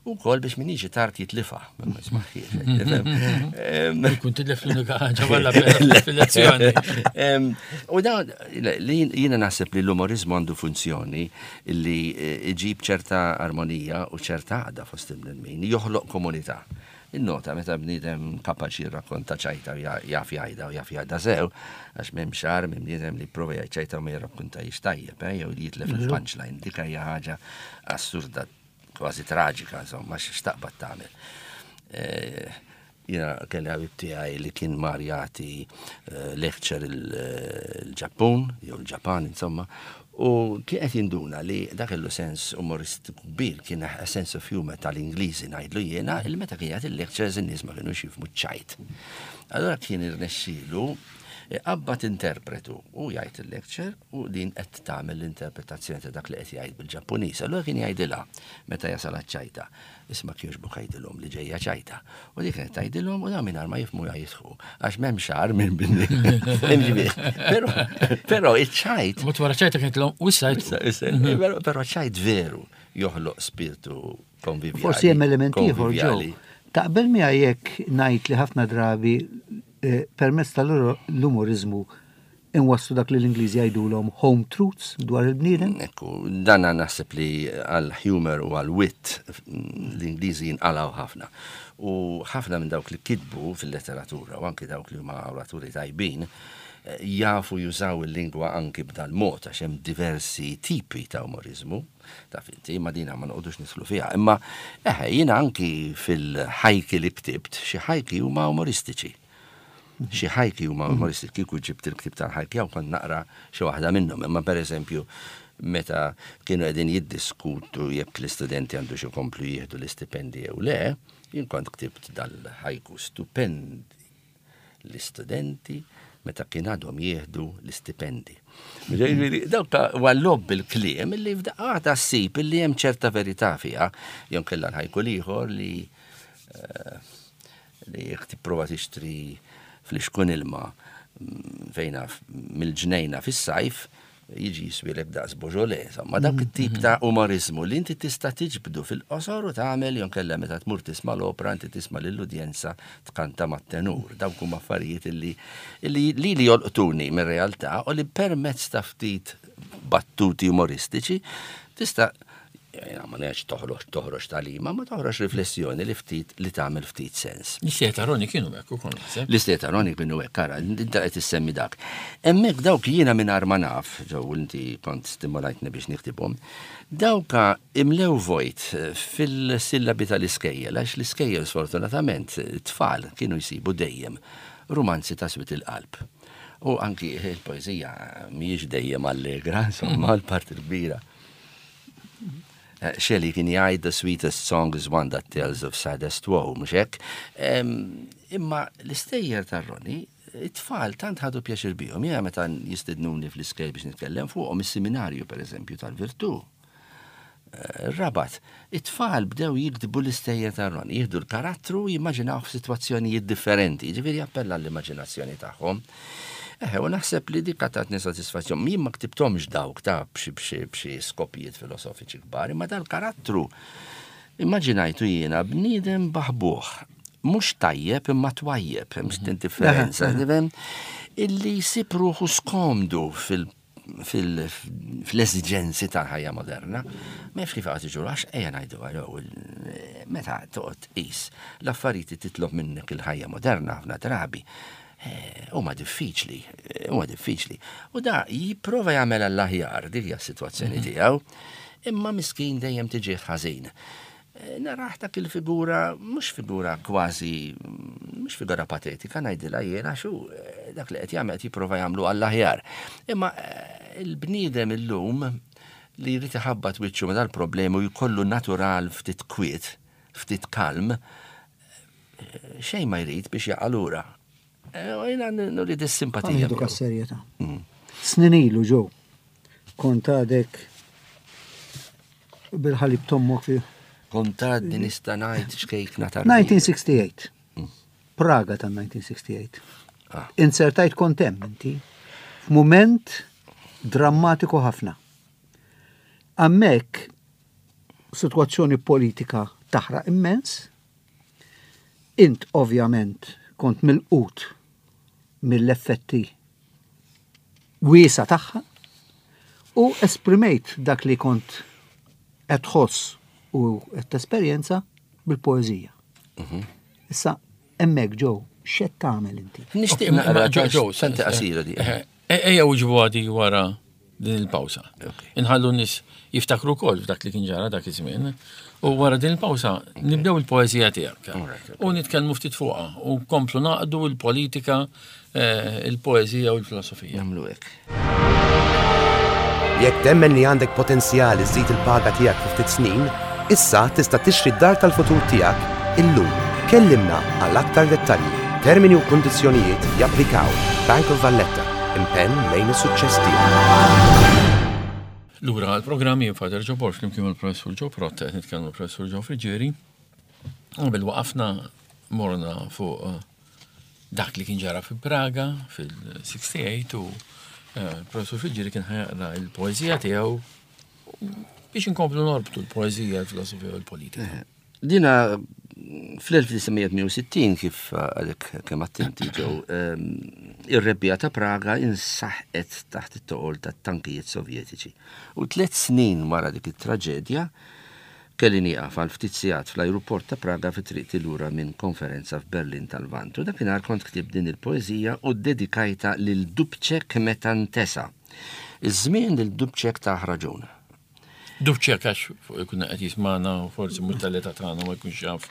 U kol biex min jiġi tard jitlifa. Ma jismaħiex. Kun titlef l-unika ħaġa valla fil-lezzjoni. Em, U da, li jiena naħseb li l-umorizmu għandu funzjoni li eh, iġib ċerta armonija u ċerta għaqda fost il-bnedmin, joħloq komunità. Innota meta bniedem kapaċi jirrakkonta ċajta u ja- jaf jgħidha u jaf jgħidha sew, għax m'hemm xar minn bniedem li prova jgħid ċajta u ma jirrakkontajx tajjeb, eh, jew li jitlef il-punchline, dik hija ħaġa assurda, kważi traġika, insomma, x'taqbad tagħmel. Eh, Jiena kelli ħabib tiegħi li kien mar jagħti eh, lecture il-Ġappun, jew il-Ġapan, insomma, u kien qed jinduna li dak kellu sens umoristiku kbir, kien a sense of humor tal-Ingliżi ngħidlu jiena, il meta kien jagħti il-lectures in-nies ma kienux jifhmu ċajt. Allora kien irnexxielu qabbat interpretu u jgħid il-lecture u din qed tagħmel l-interpretazzjoni ta' dak li qed jgħid bil-Ġappuniż. Allura kien jgħidilha meta jasal ċajta. Isma' kjoġbok għidilhom li ġejja ċajta. U dik kienet tgħidilhom u dawn mingħajr ma jifhmu jgħidħu għax m'hemm xagħar minn binni. Però però iċ-ċajt. Mod wara ċajta kienet l u issa Però ċajt veru joħloq spiritu konvivjali. Forsi hemm element ieħor ġew. Taqbel miegħi jekk ngħid li ħafna drabi eh, permezz tal-umorizmu inwasslu dak li l-Ingliżi jgħidulhom home truths dwar il-bniedem? Ekku, dan naħseb li għal humor u għal wit l-Ingliżi jinqalaw ħafna. U ħafna minn dawk li kitbu fil-letteratura u anki dawk li huma oraturi tajbin, eh, jafu jużaw il-lingwa anki b'dal mod għax hemm diversi tipi ta' umorizmu, ta' finti, ma dina ma noqogħdux nidħlu fiha. Imma eħe, jiena anki fil-ħajki li ktibt, xi ħajki huma umoristiċi. Xi ħajki huma umoristiċi, kieku ġibt il-ktib tal-ħajki hawn kont naqra xi waħda minnhom, imma pereżempju meta kienu qegħdin jiddiskutu jekk l-istudenti għandu xi jkomplu jieħdu l-istipendi jew le, jien kont ktibt dal-ħajku stupendi l-istudenti meta kien għadhom jieħdu l-istipendi. Ġifieri, dawk huwa logħob bil-kliem illi f'daqqa ta' ssib illi hemm ċerta verità fiha, jew kellha l-ħajku l-ieħor li eh, li jekk tipprova tixtri flixkun ilma mm, fejna f- mill-ġnejna fis-sajf, jiġi jiswilek daqs Beaujolais. Insomma, dak it-tip ta' umorizmu li inti tista' tiġbdu fil-qosor u tagħmel jew kellha meta tmur tisma' l-opra inti tisma' lill-udjenza tkanta mat-tenur. Dawk huma affarijiet illi illi li li jolqtuni mir-realtà u li permezz ta' ftit battuti umoristiċi tista' jena ma ngħidx toħroġ toħroġ tagħlima, ma toħroġ riflessjoni li ftit li tagħmel ftit sens. L-istejjer ta' Ronnie kienu hekk ukoll naħseb. L-istejjer ta' Ronnie kienu hekk, ara, inta qed issemmi dak. Hemmhekk dawk jiena mingħajr ma naf, ġew inti kont stimolajtni biex niktibhom, dawka imlew vojt fil-sillabi tal-iskejjel, għax l-iskejjel sfortunatament tfal kienu jsibu dejjem rumanzi ta' swied il-qalb. U anki il-poezija mhijiex dejjem allegra, insomma, l-parti kbira. Eh, Shelley kien jgħid "The sweetest song is one that tells of saddest woe", mhux hekk? Em, Imma l-istejjer tar-Ronnie, it-tfal tant ħadu pjaċir bihom. Jiena meta jistednuni fl-iskejjel biex nitkellem fuqhom is-seminarju pereżempju tal-Virtù. Eh, Rabat, it-tfal bdew jiktbu l-istejjer tar-Ronnie, jieħdu l-karattru jimmaġinaw f'sitwazzjonijiet differenti, ġifieri jappella l-immaġinazzjoni tagħhom. Eħe, u naħseb li dik tatni satisfazzjon. Jien ma ktibthomx dawk ta' b'xi b'xi b'xi skopijiet filosofiċi kbar, imma dal-karattru immaġinajtu jiena bniedem baħbuħ, mhux tajjeb imma twajjeb, hemm x'tin differenza, tifhem? Illi jsib ruħu skomdu fil fil- fl-esiġenzi tal-ħajja moderna, ma jafx kif għad iġuru, għax ejja ngħidu għal meta toqgħod tqis l-affarijiet titlob minnek il-ħajja moderna ħafna drabi, eh, huma diffiċli, eh, huma diffiċli. U da jipprova jagħmel għall-aħjar dik hija s-sitwazzjoni tiegħu, imma miskin dejjem tiġi ħażin. Eh, Naraħ dak il-figura, mhux figura kważi, mhux figura patetika, ngħidilha jiena xu, eh, dak li qed jagħmel qed jipprova jagħmlu għall-aħjar. Imma eh, il-bniedem illum li jrid iħabbat wiċċu ma' dal-problemi u jkollu natural ftit kwiet, ftit kalm, eh, xejn ma jrid biex jaqa' lura. Eh, U jiena nurid is-simpatija. Għandu miegħu. serjetà. Snin ilu ġew, kont għadek bil-ħalib t'ommok fi Kont għadni nista' ngħid xkejkna tar elf disa' mija u sitta u sittin. Praga ta' elf disa' mija u sitta u sittin. Ah. Insertajt kont hemm inti f'mument drammatiku ħafna. Hemmhekk situazzjoni politika taħraq immens, int ovvjament kont milqut mill-effetti wiesa tagħha u esprimejt dak li kont qed tħoss u qed tesperjenza bil-poeżija. Issa hemmhekk ġew x'qed tagħmel inti? Nixtieq Imma- naqra Ġo, ġo, senti qasira di. Ejja uġbu għadi wara din il-pawsa. Inħallu n-nies jiftakru wkoll f'dak li kien ġara dak iż-żmien. U wara din il-pawsa nibdew il-poeżija tiegħek. U nitkellmu ftit fuqha u nkomplu naqdu l-politika, eh, il-poeżija u l-filosofija. Nagħmlu hekk. Jekk temmen li għandek potenzjal iżżid il-paga tiegħek fi ftit snin, issa tista' tixtri d-dar tal-futur tiegħek illum. Kellimna għal aktar dettalji. Termini u kundizzjonijiet japplikaw. Bank of Valletta, impenn lejn is-suċċess tiegħek. Lura għal-programm jien Father Joe Borg flimkien mal-Professur Joe Perrotta qed nitkellmu l-Professur Joe Friggieri. Qabel waqafna morna fuq eh, dak li kien ġara fi Praga fil-sitta u sebgħin u eh, Professur Friggieri kien ħa jaqra il-poeżija tiegħu biex inkomplu norbtu l-poeżija, l-filosofija u l-politika. Dina fl-elf disa' mija u sittin, kif għadek kemm attenti ġew, ir-rebbija ta' Praga insaħqet taħt it-toqol ta' tankijiet sovjetiċi. U tliet snin wara dik it-traġedja kelli nieqaf għal ftit sigħat fl-ajruport ta' Praga fi triqti lura minn konferenza f'Berlin tal-Lvant. U dakinhar kont ktibt din il-poeżija u dedikajta lil Dubček meta ntesa. Iż-żmien lil Dubček ta' raġun. Dubček, għax ikun qed jismana u forsi mhux tal-età tagħna ma jkunx jaf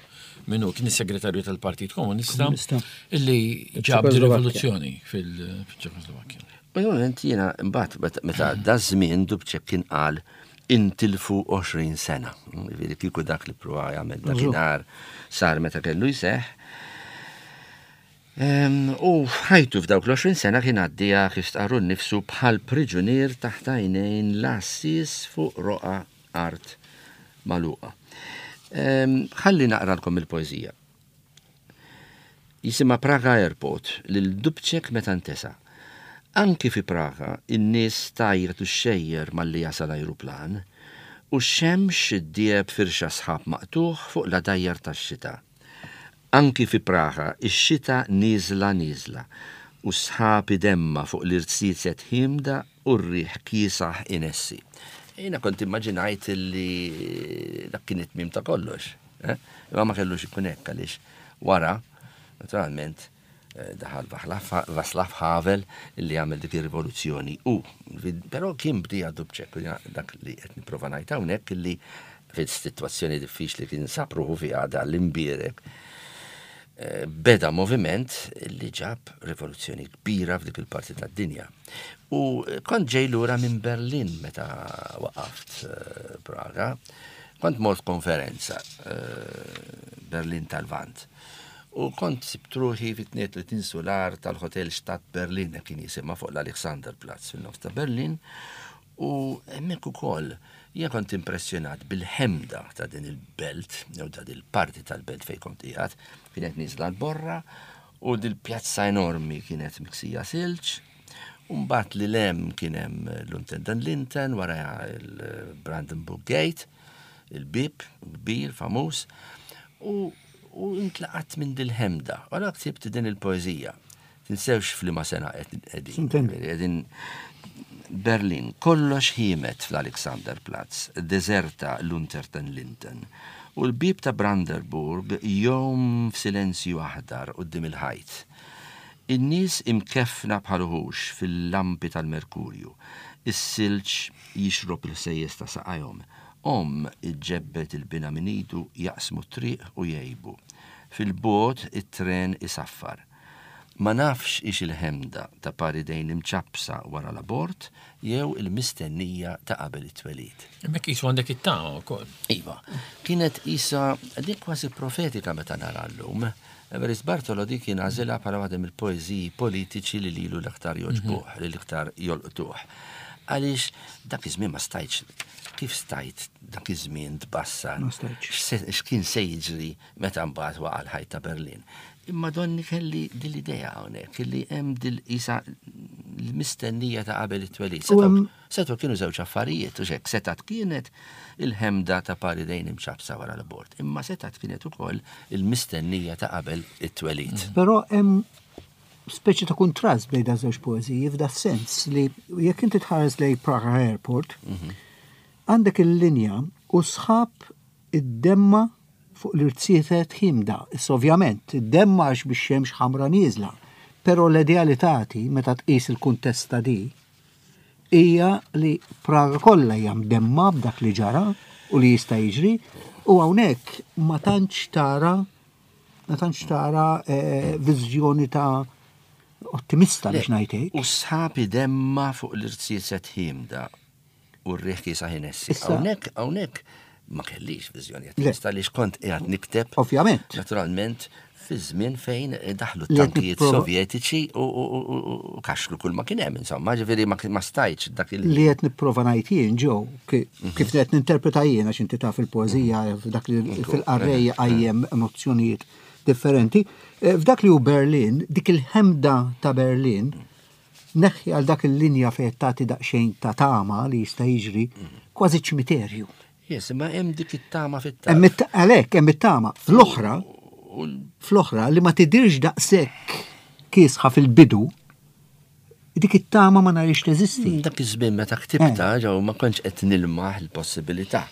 min hu, kien is-segretarju tal-Partit Komunista Komunista. illi ġab di Ċekoslovakkja. rivoluzzjoni fil-Ċekoslovakkja. U moment jiena mbagħad meta- meta da żmien Dubček kien qal intilfu għoxrin sena. Jiġifieri kieku dak li prova jagħmel dakinhar sar meta kellu jseħħ. Em, U ħajtu f'dawk l-għoxrin sena kien għaddija, kif stqarru nnifsu, bħal priġunier taħt għajnejn l-għassies fuq roqa art magħluqa. Em, Ħalli naqralkom il-poeżija. Jisimha Praga Airport, lil Dubček meta ntesa. Anki fi Praga, in-nies tgħajjat u xxejjer malli jasal ajruplan u x-xemx iddieħeb firxa sħab maqtugħ fuq l-għadajjar tax-xita. Anki fi Praga, ix-xita niżla niżla u sħab idemma fuq l-irziezet ħiemda u r-riħ kiesaħ inessi. Jiena kont immaġinajt li dak kien it-tmiem ta' kollox. Eh? Imma ma kellux ikun hekk għaliex wara, naturalment, eh, daħal Václav Havel illi għamel dik ir-rivoluzzjoni u però kien bdieha Dubček, u dak li qed nipprova ngħid hawnhekk illi fil-sitwazzjoni diffiċli kien sab ruħu fiha da l-imbierek eh, beda moviment li ġab rivoluzzjoni kbira f'dik il-parti tad-dinja. U kont ġej lura minn Berlin meta waqaft eh, Praga, kont mort konferenza eh, Berlin tal-Lvant. U kont sibt ruħi fit-tnejn u tletin sular tal-Hotel Stadt Berlin, kien jisimha, fuq l-Alexanderplatz fil-nofs ta' Berlin. U hemmhekk ukoll jien kont impressjonat bil-ħemda ta' din il-belt, jew ta' din il-parti tal-belt fejn kont qiegħed, kienet niżla l-borra u dil-pjazza enormi kienet miksija silġ. U mbagħad li lem kien hemm l-Unter den Linden, wara il-Brandenburg Gate, il-bib kbir famuż, u u intlaqat minn dil-ħemda. Għala ktibt din il-poeżija. Tinsewx f'liema sena qegħdin. Sintendi. Qegħdin Berlin. Kollox ħiemet fl-Alexanderplatz, deserta l-Unter den Linden. U l-bib ta' Brandenburg jgħum f'silenzju aħdar quddiem il-ħajt. In-nies imkefna bħal uħux fil-lampi tal-Merkurju. Is-silġ jixrob il-ħsejjes ta' saqajhom. Omm iġġebbed lil binha minn idu, jaqsmu triq u jgħibu. Fil-bogħod it-tren isaffar. Ma nafx hix il-ħemda ta' par idejn imċappsa wara l-abort jew il-mistennija ta' qabel it-twelid. Hemmhekk qisu għandek it-tama wkoll. Iva, kienet isa dik kważi profetika meta nara llum. Evarist Bartolo dik kien għażilha bħala waħda mill-poeżiji politiċi li lilu l-aktar jogħġbuh, li l-aktar jolqtuh. Għaliex dak iż-żmien ma stajtx, kif stajt dak iż-żmien tbassar? Ma stajtx. X'se- X'kien se jiġri meta mbagħad waqa' l-ħajt ta' Berlin. Imma donni kelli dil-idea hawnhekk illi hemm dil isa l-mistennija ta' qabel it-twelid. U hemm- Setgħu kienu żewġ affarijiet, u xek, setgħet kienet il-ħemda ta' par idejn imċappsa wara l-abort, imma setgħet kienet ukoll il-mistennija ta' qabel it-twelid. Però hemm speċi ta' kontrast bejn da żewġ poeżiji f'da sens li jekk inti tħares lejn Praga Airport, għandek il-linja u sħab id-demma fuq l-irziezet ħiemda. Issa ovvjament, id-demma għax biex xemx ħamra nieżla. Però l-idea li tagħti meta tqis il-kuntest ta' di hija li Praga kollha hija mdemma b'dak li ġara u li jista' jiġri u hawnhekk ma tantx tara ma tantx tara eh, viżjoni ta' ottimista biex ngħid. U sħab idemma fuq l-irziezet ħiemda u r-riħ kiesaħ inessi. Hawnhekk hawnhekk ma kellix viżjoni ottimista li kont qiegħed nikteb. Ovvjament. Naturalment, fi żmien fejn daħlu t-tankijiet sovjetiċi u kaxlu kull ma kien hemm, insomma, ġifieri ma stajtx dak il- Li qed nipprova ngħid jien ġew, kif qed ninterpreta jien għax inti taf il-poeżija f'dak li fil-qarrejja qajjem emozzjonijiet differenti. F'dak li hu Berlin, dik il-ħemda ta' Berlin, neħħi għal dak il-linja fejn tagħti daqsxejn ta' tama li jista' jiġri, kważi ċimiterju. Yes, imma hemm dik it-tama fit-tama. Għalhekk hemm it-tama. Fl-oħra, fl-oħra li ma tidirx daqshekk kiesħa fil-bidu, dik it-tama ma narix teżisti. Dak iż-żmien meta ktibta ġew ma kontx qed nilmaħ il-possibilità.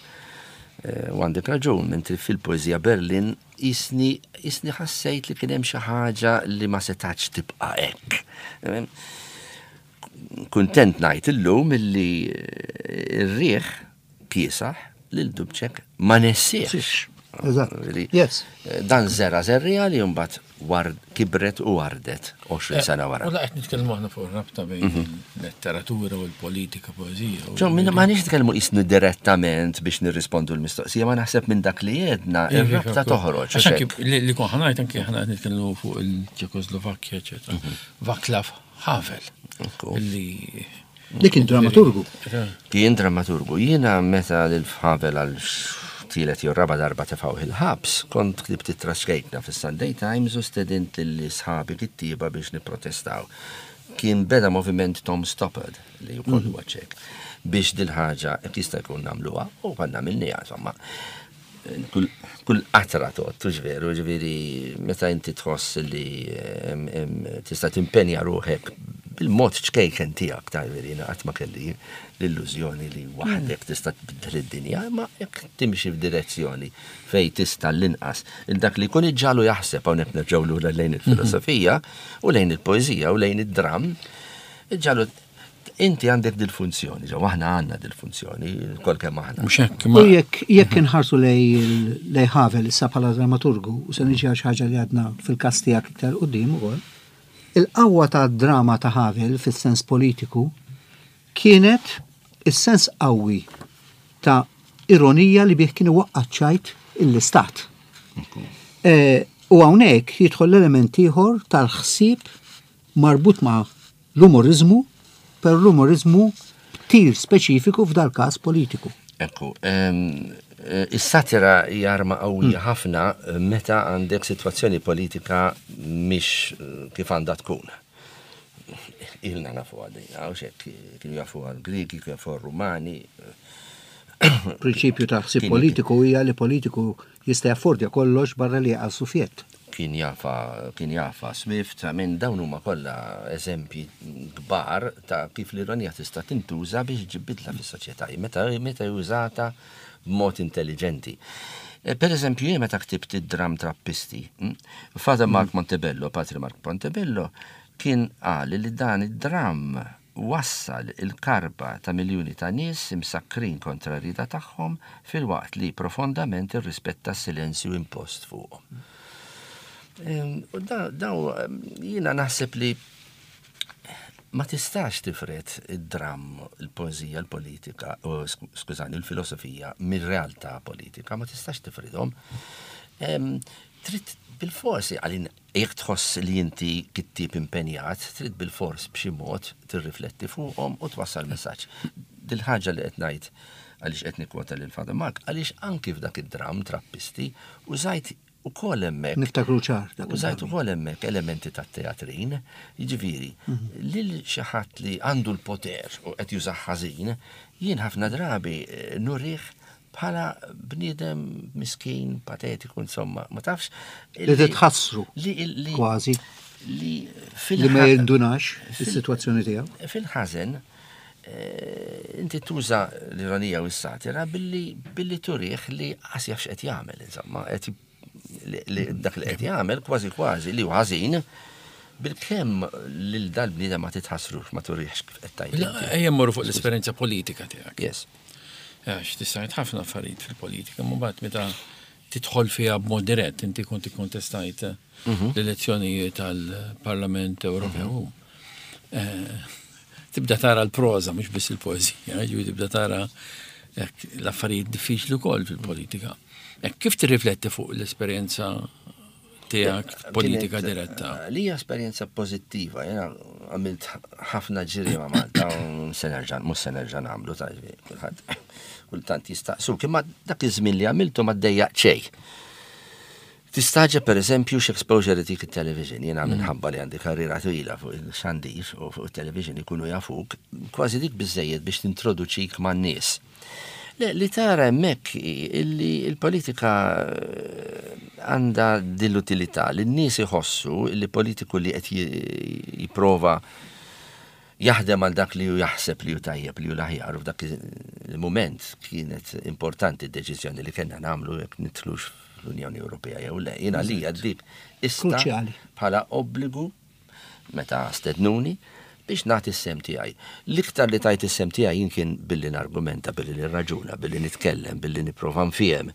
U għandek raġun, mentri fil-poeżija Berlin isni isni ħassejt li kien hemm xi ħaġa li ma setax tibqa' hekk. Kuntent ngħid illum illi r-riħ kiesaħ lil Dubček ma nessiex. Eżatt. Yes. Dan żera żerrija li mbagħad kibret u wardet għoxrin sena wara. U la qed nitkellmu aħna fuq rabta bejn il-letteratura u l-politika, poeżija. Ġo, ma nix nitkellmu qisni direttament biex nirrispondu l-mistoqsija, ma naħseb minn dak li jedna ir-rabta toħroġ. Għax anki li kon ħanajt anki aħna qed nitkellmu fuq il-Ċekoslovakkja, eċetera. Václav Havel. Li Li kien dramaturgu. Kien dramaturgu. Jiena meta lil Havel għal tielet jew raba darba tefgħu il-ħabs, kont ktibt ittra xkejtna fis-Sunday Times u stedint lil sħabi kittieba biex nipprotestaw. Kien beda moviment Tom Stoppard li wkoll huwa ċek biex dil-ħaġa jekk jista' jkun nagħmluha u konna għamilniha insomma. Kull qatra tgħod, hux veru, ġifieri meta inti tħoss li tista' timpenja ruħek bil-mod ċkejken tiegħek, ta' ġifieri jiena qatt ma kelli l-illużjoni li waħdek tista' tbiddel id-dinja, imma jekk timxi f'direzzjoni fej tista' l-inqas il dak li jkun iġġalu jaħseb, hawnhekk nerġgħu lura lejn il-filosofija u lejn il-poeżija u lejn id-dramm, iġġalu inti għandek dil-funzjoni, ġew aħna għandna dil-funzjoni, kol kemm aħna. Mhux hekk, ma U jekk jekk inħarsu lej Havel issa bħala dramaturgu, u se niġi għal xi ħaġa li għadna fil-każ tiegħek iktar quddiem ukoll, il-qawwa ta' drama ta' Havel fis-sens politiku kienet is-sens qawwi ta' ironija li bih kien iwaqqa' ċajt l-istat. U hawnhekk jidħol l-element ieħor tal-ħsieb marbut ma' l-umorizmu, per l-umorizmu b'tir speċifiku f'dal każ politiku. Ekku, is-satira hija arma qawwija ħafna meta għandek sitwazzjoni politika mhix kif għandha tkun. Ilna nafu għadina, u xek, kienu jafu għal-Griki, kienu jafu għal-Rumani. Prinċipju ta' ħsieb politiku hija li politiku jista' jaffordja kollox barra li għal sufjett. Kien jafa, kien jafa Swift, minn dawn huma kollha eżempji kbar ta' kif l-ironija tista' tintuża biex ġib bidla fis-soċjetà, meta meta jużata b'mod intelligenti. Per eżempju, jien meta ktibt id-dram Trappisti, Father Mark Montebello, Patri Mark Montebello, kien qal li dan id-dram wassal il-karba ta' miljuni ta' nies imsakrin kontra r-rida tagħhom filwaqt li profondament irrispetta s-silenzju impost fuqhom. U daw jiena naħseb li ma tistax tifred id-dram, il-poeżija, il-politika, skużani, il-filosofija mir-realtà politika, ma tistax tifridhom. Trid bil-forsi, għalin jekk tħoss li inti kittieb impenjat, trid bil-fors b'xi mod tirrifletti fuqhom u twassal messaġġ. Dil-ħaġa li qed ngħid għaliex qed nikkwota lil Father Mark, għaliex anki f'dak id-dram Trappisti użajt ukoll hemmhekk. Niftakru ċar. Użajt ukoll hemmhekk elementi tat-teatrin, jiġifieri, lil xi ħadd li għandu l-poter u qed jużah ħażin, jien ħafna drabi nurih bħala bniedem miskin, patetiku, insomma, ma tafx. Li titħassru kważi. Li li ma jindunax is-sitwazzjoni tiegħu. Fil-ħażen, inti tuża l-ironija u s-satira billi turih li qas jaf x'qed jagħmel, insomma, qed dak li qed jagħmel kważi kważi li hu ħażin, Bil-kemm lil dal-bniedem ma titħassrux, ma turihx kif qed tgħid. Ejja mmorru fuq l-esperjenza politika tiegħek. Yes. Għax tista' tgħid ħafna affarijiet fil-politika, ma mbagħad meta tidħol fiha b'mod dirett, inti kont ikkontestajt mhm. l-elezzjonijiet tal-Parlament Ewropew. Eh, tibda tara l-proża, mhux biss il-poeżija, ġifieri tibda tara l-affarijiet diffiċli wkoll fil-politika. Kif tirrifletti fuq l-esperjenza tiegħek politika diretta? Li hija esperjenza pożittiva, jiena għamilt ħafna ġiri ma' Malta, se nerġa' mhux se nerġa' nagħmlu ta' kulħadd kultant jistaqsu, imma dak iż-żmien li għamiltu ma ddejjaq xejn. Tistaġa per eżempju x'exposure dik it-television, jiena mm. minħabba li għandi karriera twila fuq il-xandir u fuq il-television ikunu jafuk, kważi dik biżejjed biex tintroduċik man-nies. Li tara hemmhekk illi il-politika eh, għandha dil-utilità li n-nies iħossu li politiku li qed jipprova jaħdem għal dak li ju jaħseb li ju tajjeb li ju l-aħjar u f'dak il-moment kienet importanti d-deċiżjoni li kellna nagħmlu jekk nidħlux fl-Unjoni Ewropea jew le. Jiena li dik issa bħala obbligu meta stednuni biex nagħti s-sehem tiegħi. L-iktar li tajt is-sehem tiegħi jien kien billi nargumenta, billi nirraġuna, billi nitkellem, billi nipprova nfiehem.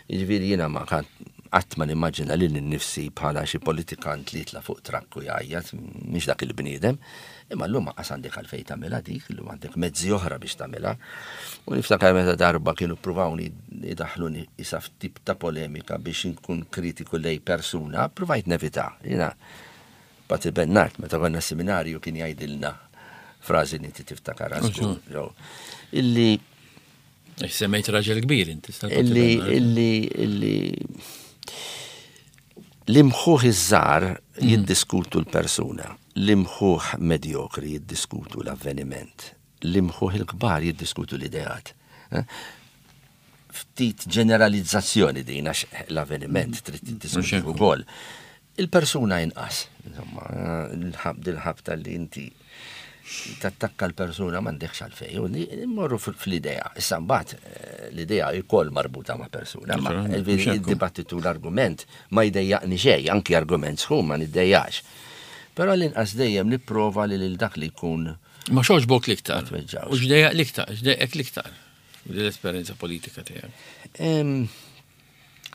Jiġifieri jiena ma qatt ma nimmaġina lil nnifsi bħala xi politikant li jitla' fuq trakk u jgħajjat, mhix dak il-bniedem. Imma llum qas għandek għalfejn tagħmilha dik, illum għandek mezzi oħra biex tagħmilha. U niftakar meta darba kienu ppruvawni idaħħluni isa f'tip ta' polemika biex inkun kritiku lej persuna, provajt nevita. Jiena Patri Bernard, meta konna seminarju kien jgħidilna frażi li inti tiftakar żgur. Illi Semmejt raġel kbir inti. Illi illi illi l-imħuħ iż-żgħar mm. jiddiskutu l-persuna, l-imħuħ medjokri jiddiskutu l-avveniment, l-imħuħ il-kbar jiddiskutu l-ideat. Eh? Ftit ġeneralizzazzjoni din għax l-avveniment trid tiddiskuti wkoll. Il-persuna inqas, insomma, il-ħabta li inti tattakka l-persuna m'għandekx għalfejn, u mmorru fl-idea. Issa mbagħad eh, l-idea jkoll marbuta ma' persuna, ma il-dibattitu l-argument ma jdejjaqni xejn, anki argument sħun ma niddejjax. Però l-inqas dejjem nipprova li lil dak li jkun. Ma x'għoġbok l-iktar. U x'dejjaq l-iktar, x'dejjaq l-iktar l-esperjenza politika tiegħek.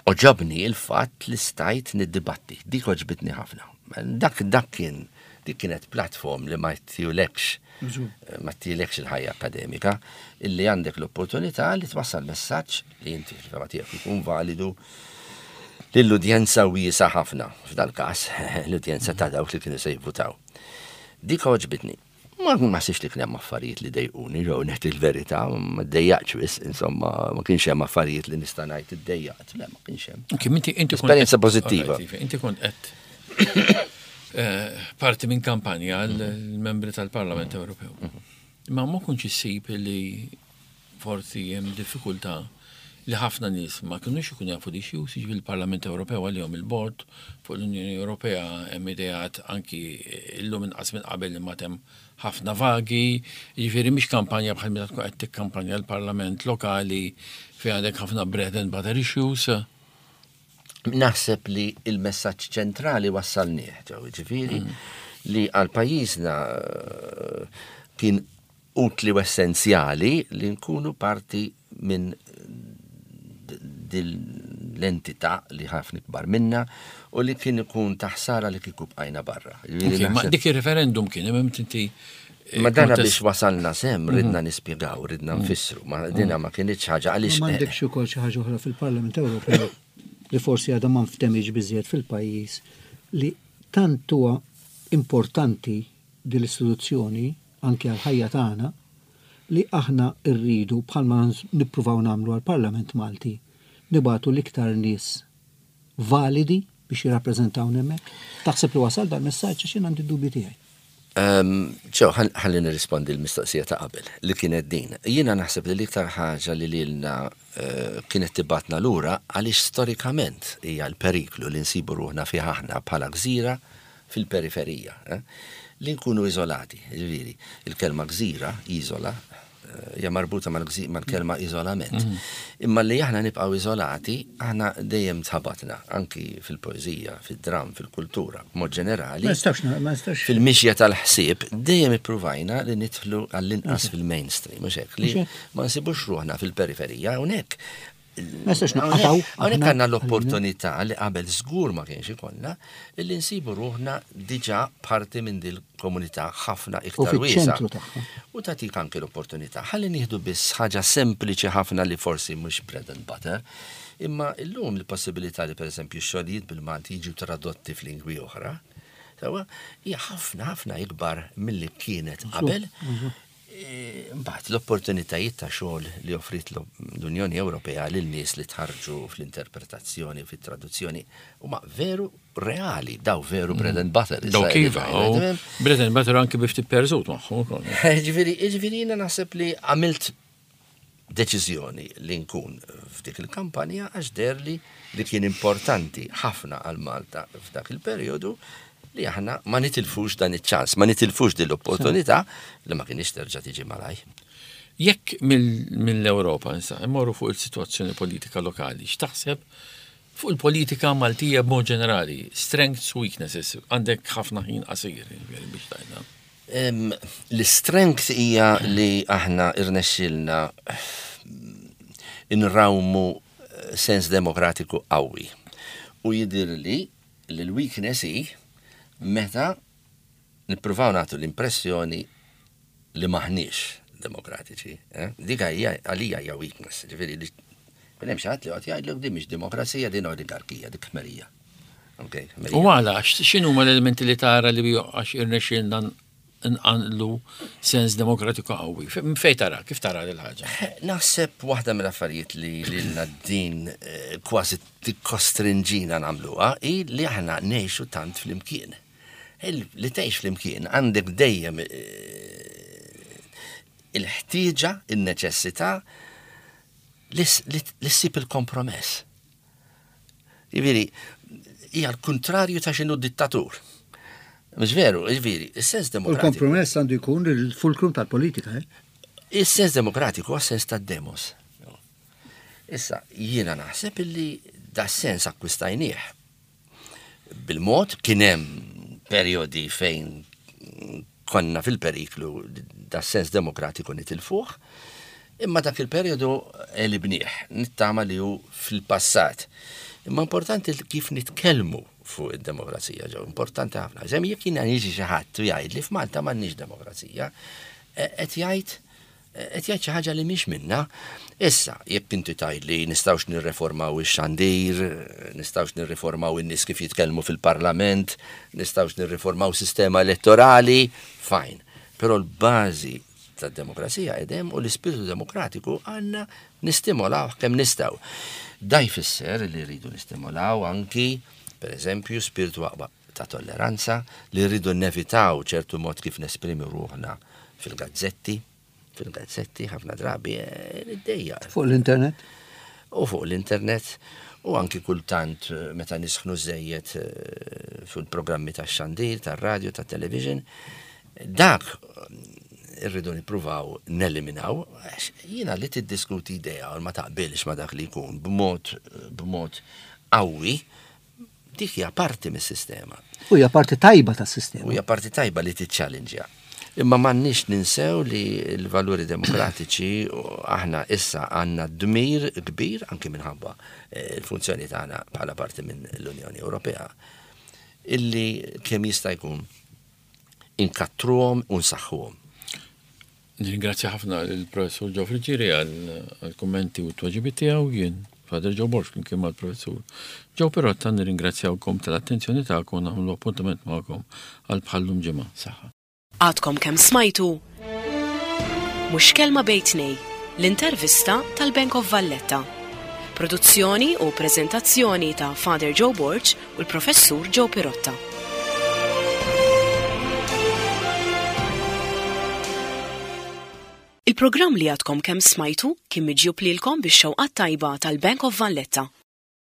Għoġobni il-fatt li stajt niddibatti, dik għoġbitni ħafna. Dak dak kien dik kienet platform li ma ttilekx ma ttilekx il-ħajja akademika, illi għandek l-opportunità li twassal messaġġ li inti fil-fehma tiegħek ikun validu lill-udjenza wiesa ħafna, f'dal-każ l-udjenza ta' dawk li kienu se jivvutaw. Dik għoġbitni. Ma ma sibx li kien hemm affarijiet li dejquni, ġew ngħid il-verità, ma ddejjaqx wisq, insomma, ma kienx hemm affarijiet li nista' ngħid iddejjaqt, le ma kienx hemm. Kim inti inti Esperjenza pożittiva. Inti kont qed eh, parti minn kampanja l-membri tal-Parlament Ewropew. Ma ma kontx issib li forsi hemm diffikultà li ħafna nies ma kinux ikun jafu di xi jiġifieri il-Parlament Ewropew għalihom il-bord fuq l-Unjoni Ewropea hemm ideat anki illum inqas minn qabel imma hemm ħafna vagi, jiġifieri mhix kampanja bħal meta tkun qed tikkampanja l-Parlament lokali fejn għandek ħafna bread and butter issues. Naħseb li il-messaġġ ċentrali wassalnieh, ġew ġifieri li għal pajjiżna eh, kien utli u essenzjali li nkunu parti minn l-entità li ħafna ikbar minna u li kien ikun taħsara li kieku bqajna barra. Ok, ma dik il-referendum kien hemm inti eh, Ma dana biex wasalna s'hemm, ridna nispjegaw, ridna nfissru, ma dina ma kienx ħaġa għaliex. M'għandekx ukoll xi ħaġa oħra fil-Parlament Ewropew li forsi għadha ma nftemix biżjed fil-pajjiż li tant huwa importanti din l-istituzzjoni anke għal-ħajja tagħna li aħna rridu bħalma nippruvaw nagħmlu għall-Parlament Malti nibagħtu l-iktar nies validi biex jirrappreżentawna hemmhekk. Taħseb li wasal dal-messaġġ għax jien għandi dubji tiegħi. ċew, ħalli nirrispondi l-mistoqsija ta' qabel li kienet din. Jiena naħseb li l-iktar ħaġa li lilna eh, kienet tibgħatna lura għaliex storikament hija l-periklu li nsibu ruħna fih aħna bħala gżira fil-periferija. Eh? Li nkunu iżolati, ġifieri, il-kelma gżira, iżola, Hija marbuta mal-kelma iżolament. Mhm. Imma li aħna nibqgħu iżolati, aħna dejjem tħabatna, anki fil-poeżija, fid-dram, fil-kultura, b'mod ġenerali. Fil-mixja tal-ħsieb, dejjem ippruvajna li nidħlu għall-inqas fil-mainstream, mhux hekk, li ma nsibux ruħna fil-periferija, hawnhekk Ma nistax naqataw. Hawnhekk għandna l-opportunità li qabel żgur ma kienx ikollna, illi nsibu ruħna diġà parti minn dil komunità ħafna iktar wiesgħa. U tagħtik anke l-opportunità. Ħalli nieħdu biss ħaġa sempliċi ħafna li forsi mhux bread and butter, imma illum il-possibilità li pereżempju xogħlijiet bil-Malti jiġu tradotti f'lingwi oħra, sewwa, hija ħafna ħafna ikbar milli kienet qabel. Mbagħad l-opportunitajiet ta' xogħol li offrit l-Unjoni Ewropea lil nies li tħarġu fl-interpretazzjoni u fit-traduzzjoni huma veru reali, daw veru bread and butter. Daw kif, bread and butter anki bi ftit perżut magħhom ukoll. Ġifieri, ġifieri jiena naħseb li għamilt deċiżjoni li nkun f'dik il-kampanja għax deherli li kien importanti ħafna għal Malta f'dak il-perjodu li aħna ma nitilfux dan iċ-ċans, ma nitilfux din l-opportunità li ma kienx terġa' tiġi malaj. Jekk mill-Ewropa issa immorru fuq il-sitwazzjoni politika lokali, x'taħseb fuq il-politika Maltija b'mod ġenerali, strengths, weaknesses, għandek ħafna ħin qasir biex tgħidna. L-strength hija li aħna irnexxilna inrawmu sens demokratiku qawwi. U jidirli li l-weakness hi meta nippruvaw nagħtu l-impressjoni li maħniex demokratiċi. Eh? Dik hija għalija hija weakness, ġifieri li kien hemm xi ħadd li qed jgħidlek din mhix demokrazija, din oligarkija, dik ħmerija. Okay, U għala, x'inhu ma l-elementi li tara li għax irnexxielna nqanqlu sens demokratiku qawwi? Fej tara, kif tara l-ħaġa? Naħseb waħda mill-affarijiet li lilna din eh, kważi tikkostrinġina nagħmluha hi li aħna ngħixu tant flimkien. Li tgħix flimkien għandek dejjem eh, il-ħtieġa, il-neċessità li ssib il-kompromess. Jiġifieri, hija l-kuntrarju ta' x'inhu dittatur. Mhux veru, jiġifieri, is-sens demokratiku. Il-kompromess għandu jkun il-fulcrum tal-politika, eh? Is-sens demokratiku huwa sens tad-demos. Issa, jiena naħseb illi da sens akkwistajnieh. Bil-mod kien hemm periodi fejn konna fil-periklu da sens demokratiku nitilfuh, imma dak il-periodu għelibnieh, nittama li hu fil-passat. Imma importanti kif nitkellmu fuq id-demokrazija ġew, importanti ħafna. Żemm jekk jiena jiġi xi ħadd u jgħid li f'Malta m'għandniex demokrazija, qed jgħid qed jgħid xi ħaġa li mhix minna. Issa, jekk inti tgħid li nistgħux nirreformaw ix-xandir, nistgħux nirriformaw in-nies kif jitkellmu fil-parlament, nistgħux nirriformaw sistema elettorali, fine. Però l-bażi tad-demokrazija edem u l-ispirtu demokratiku għandna nistimolaw kemm nistgħu. Da jfisser li rridu nistimolaw anki, per eżempju, spiritu aqwa ta' tolleranza, li rridu nevitaw ċertu mod kif nesprimi ruħna fil-gazzetti, fil-gazzetti ħafna drabi id-dejja. Fuq l-internet? U fuq l-internet, u anki kultant meta nisħnu żejjed fil-programmi tax-xandir, tar-radio, tat-television, dak irridu nippruvaw neliminaw, għax jiena li tiddiskuti idea u ma taqbilx ma dak li jkun b'mod b'mod qawwi, dik hija parti mis-sistema. U hija parti tajba tas-sistema. U hija parti tajba li tiċċallenġja. Imma m'għandniex ninsew li l-valuri demokratiċi aħna issa għandna dmir kbir anki minħabba l-funzjoni tagħna bħala parti minn l-Unjoni Ewropea illi kemm jista' jkun inkattruhom u nsaħħuhom. Nirringrazzja ħafna lill-Professur Joe Friggieri għall-kummenti u t-tweġibiet tiegħu. Jien Father Joe Borg flimkien mal-Professur Joe Pirotta nirringrazzjawkom tal-attenzjoni tagħkom u nagħmlu appuntament magħkom għal bħallum ġimgħa. Saħħa. Għadkom kemm smajtu Mhux Kelma Bejn Tnejn, l-intervista tal-Bank of Valletta. Produzzjoni u preżentazzjoni ta' Father Joe Borg u l-Professur Joe Pirotta. Il-programm li għadkom kemm smajtu kien miġjub lilkom bix-xewqat tajba tal-Bank of Valletta.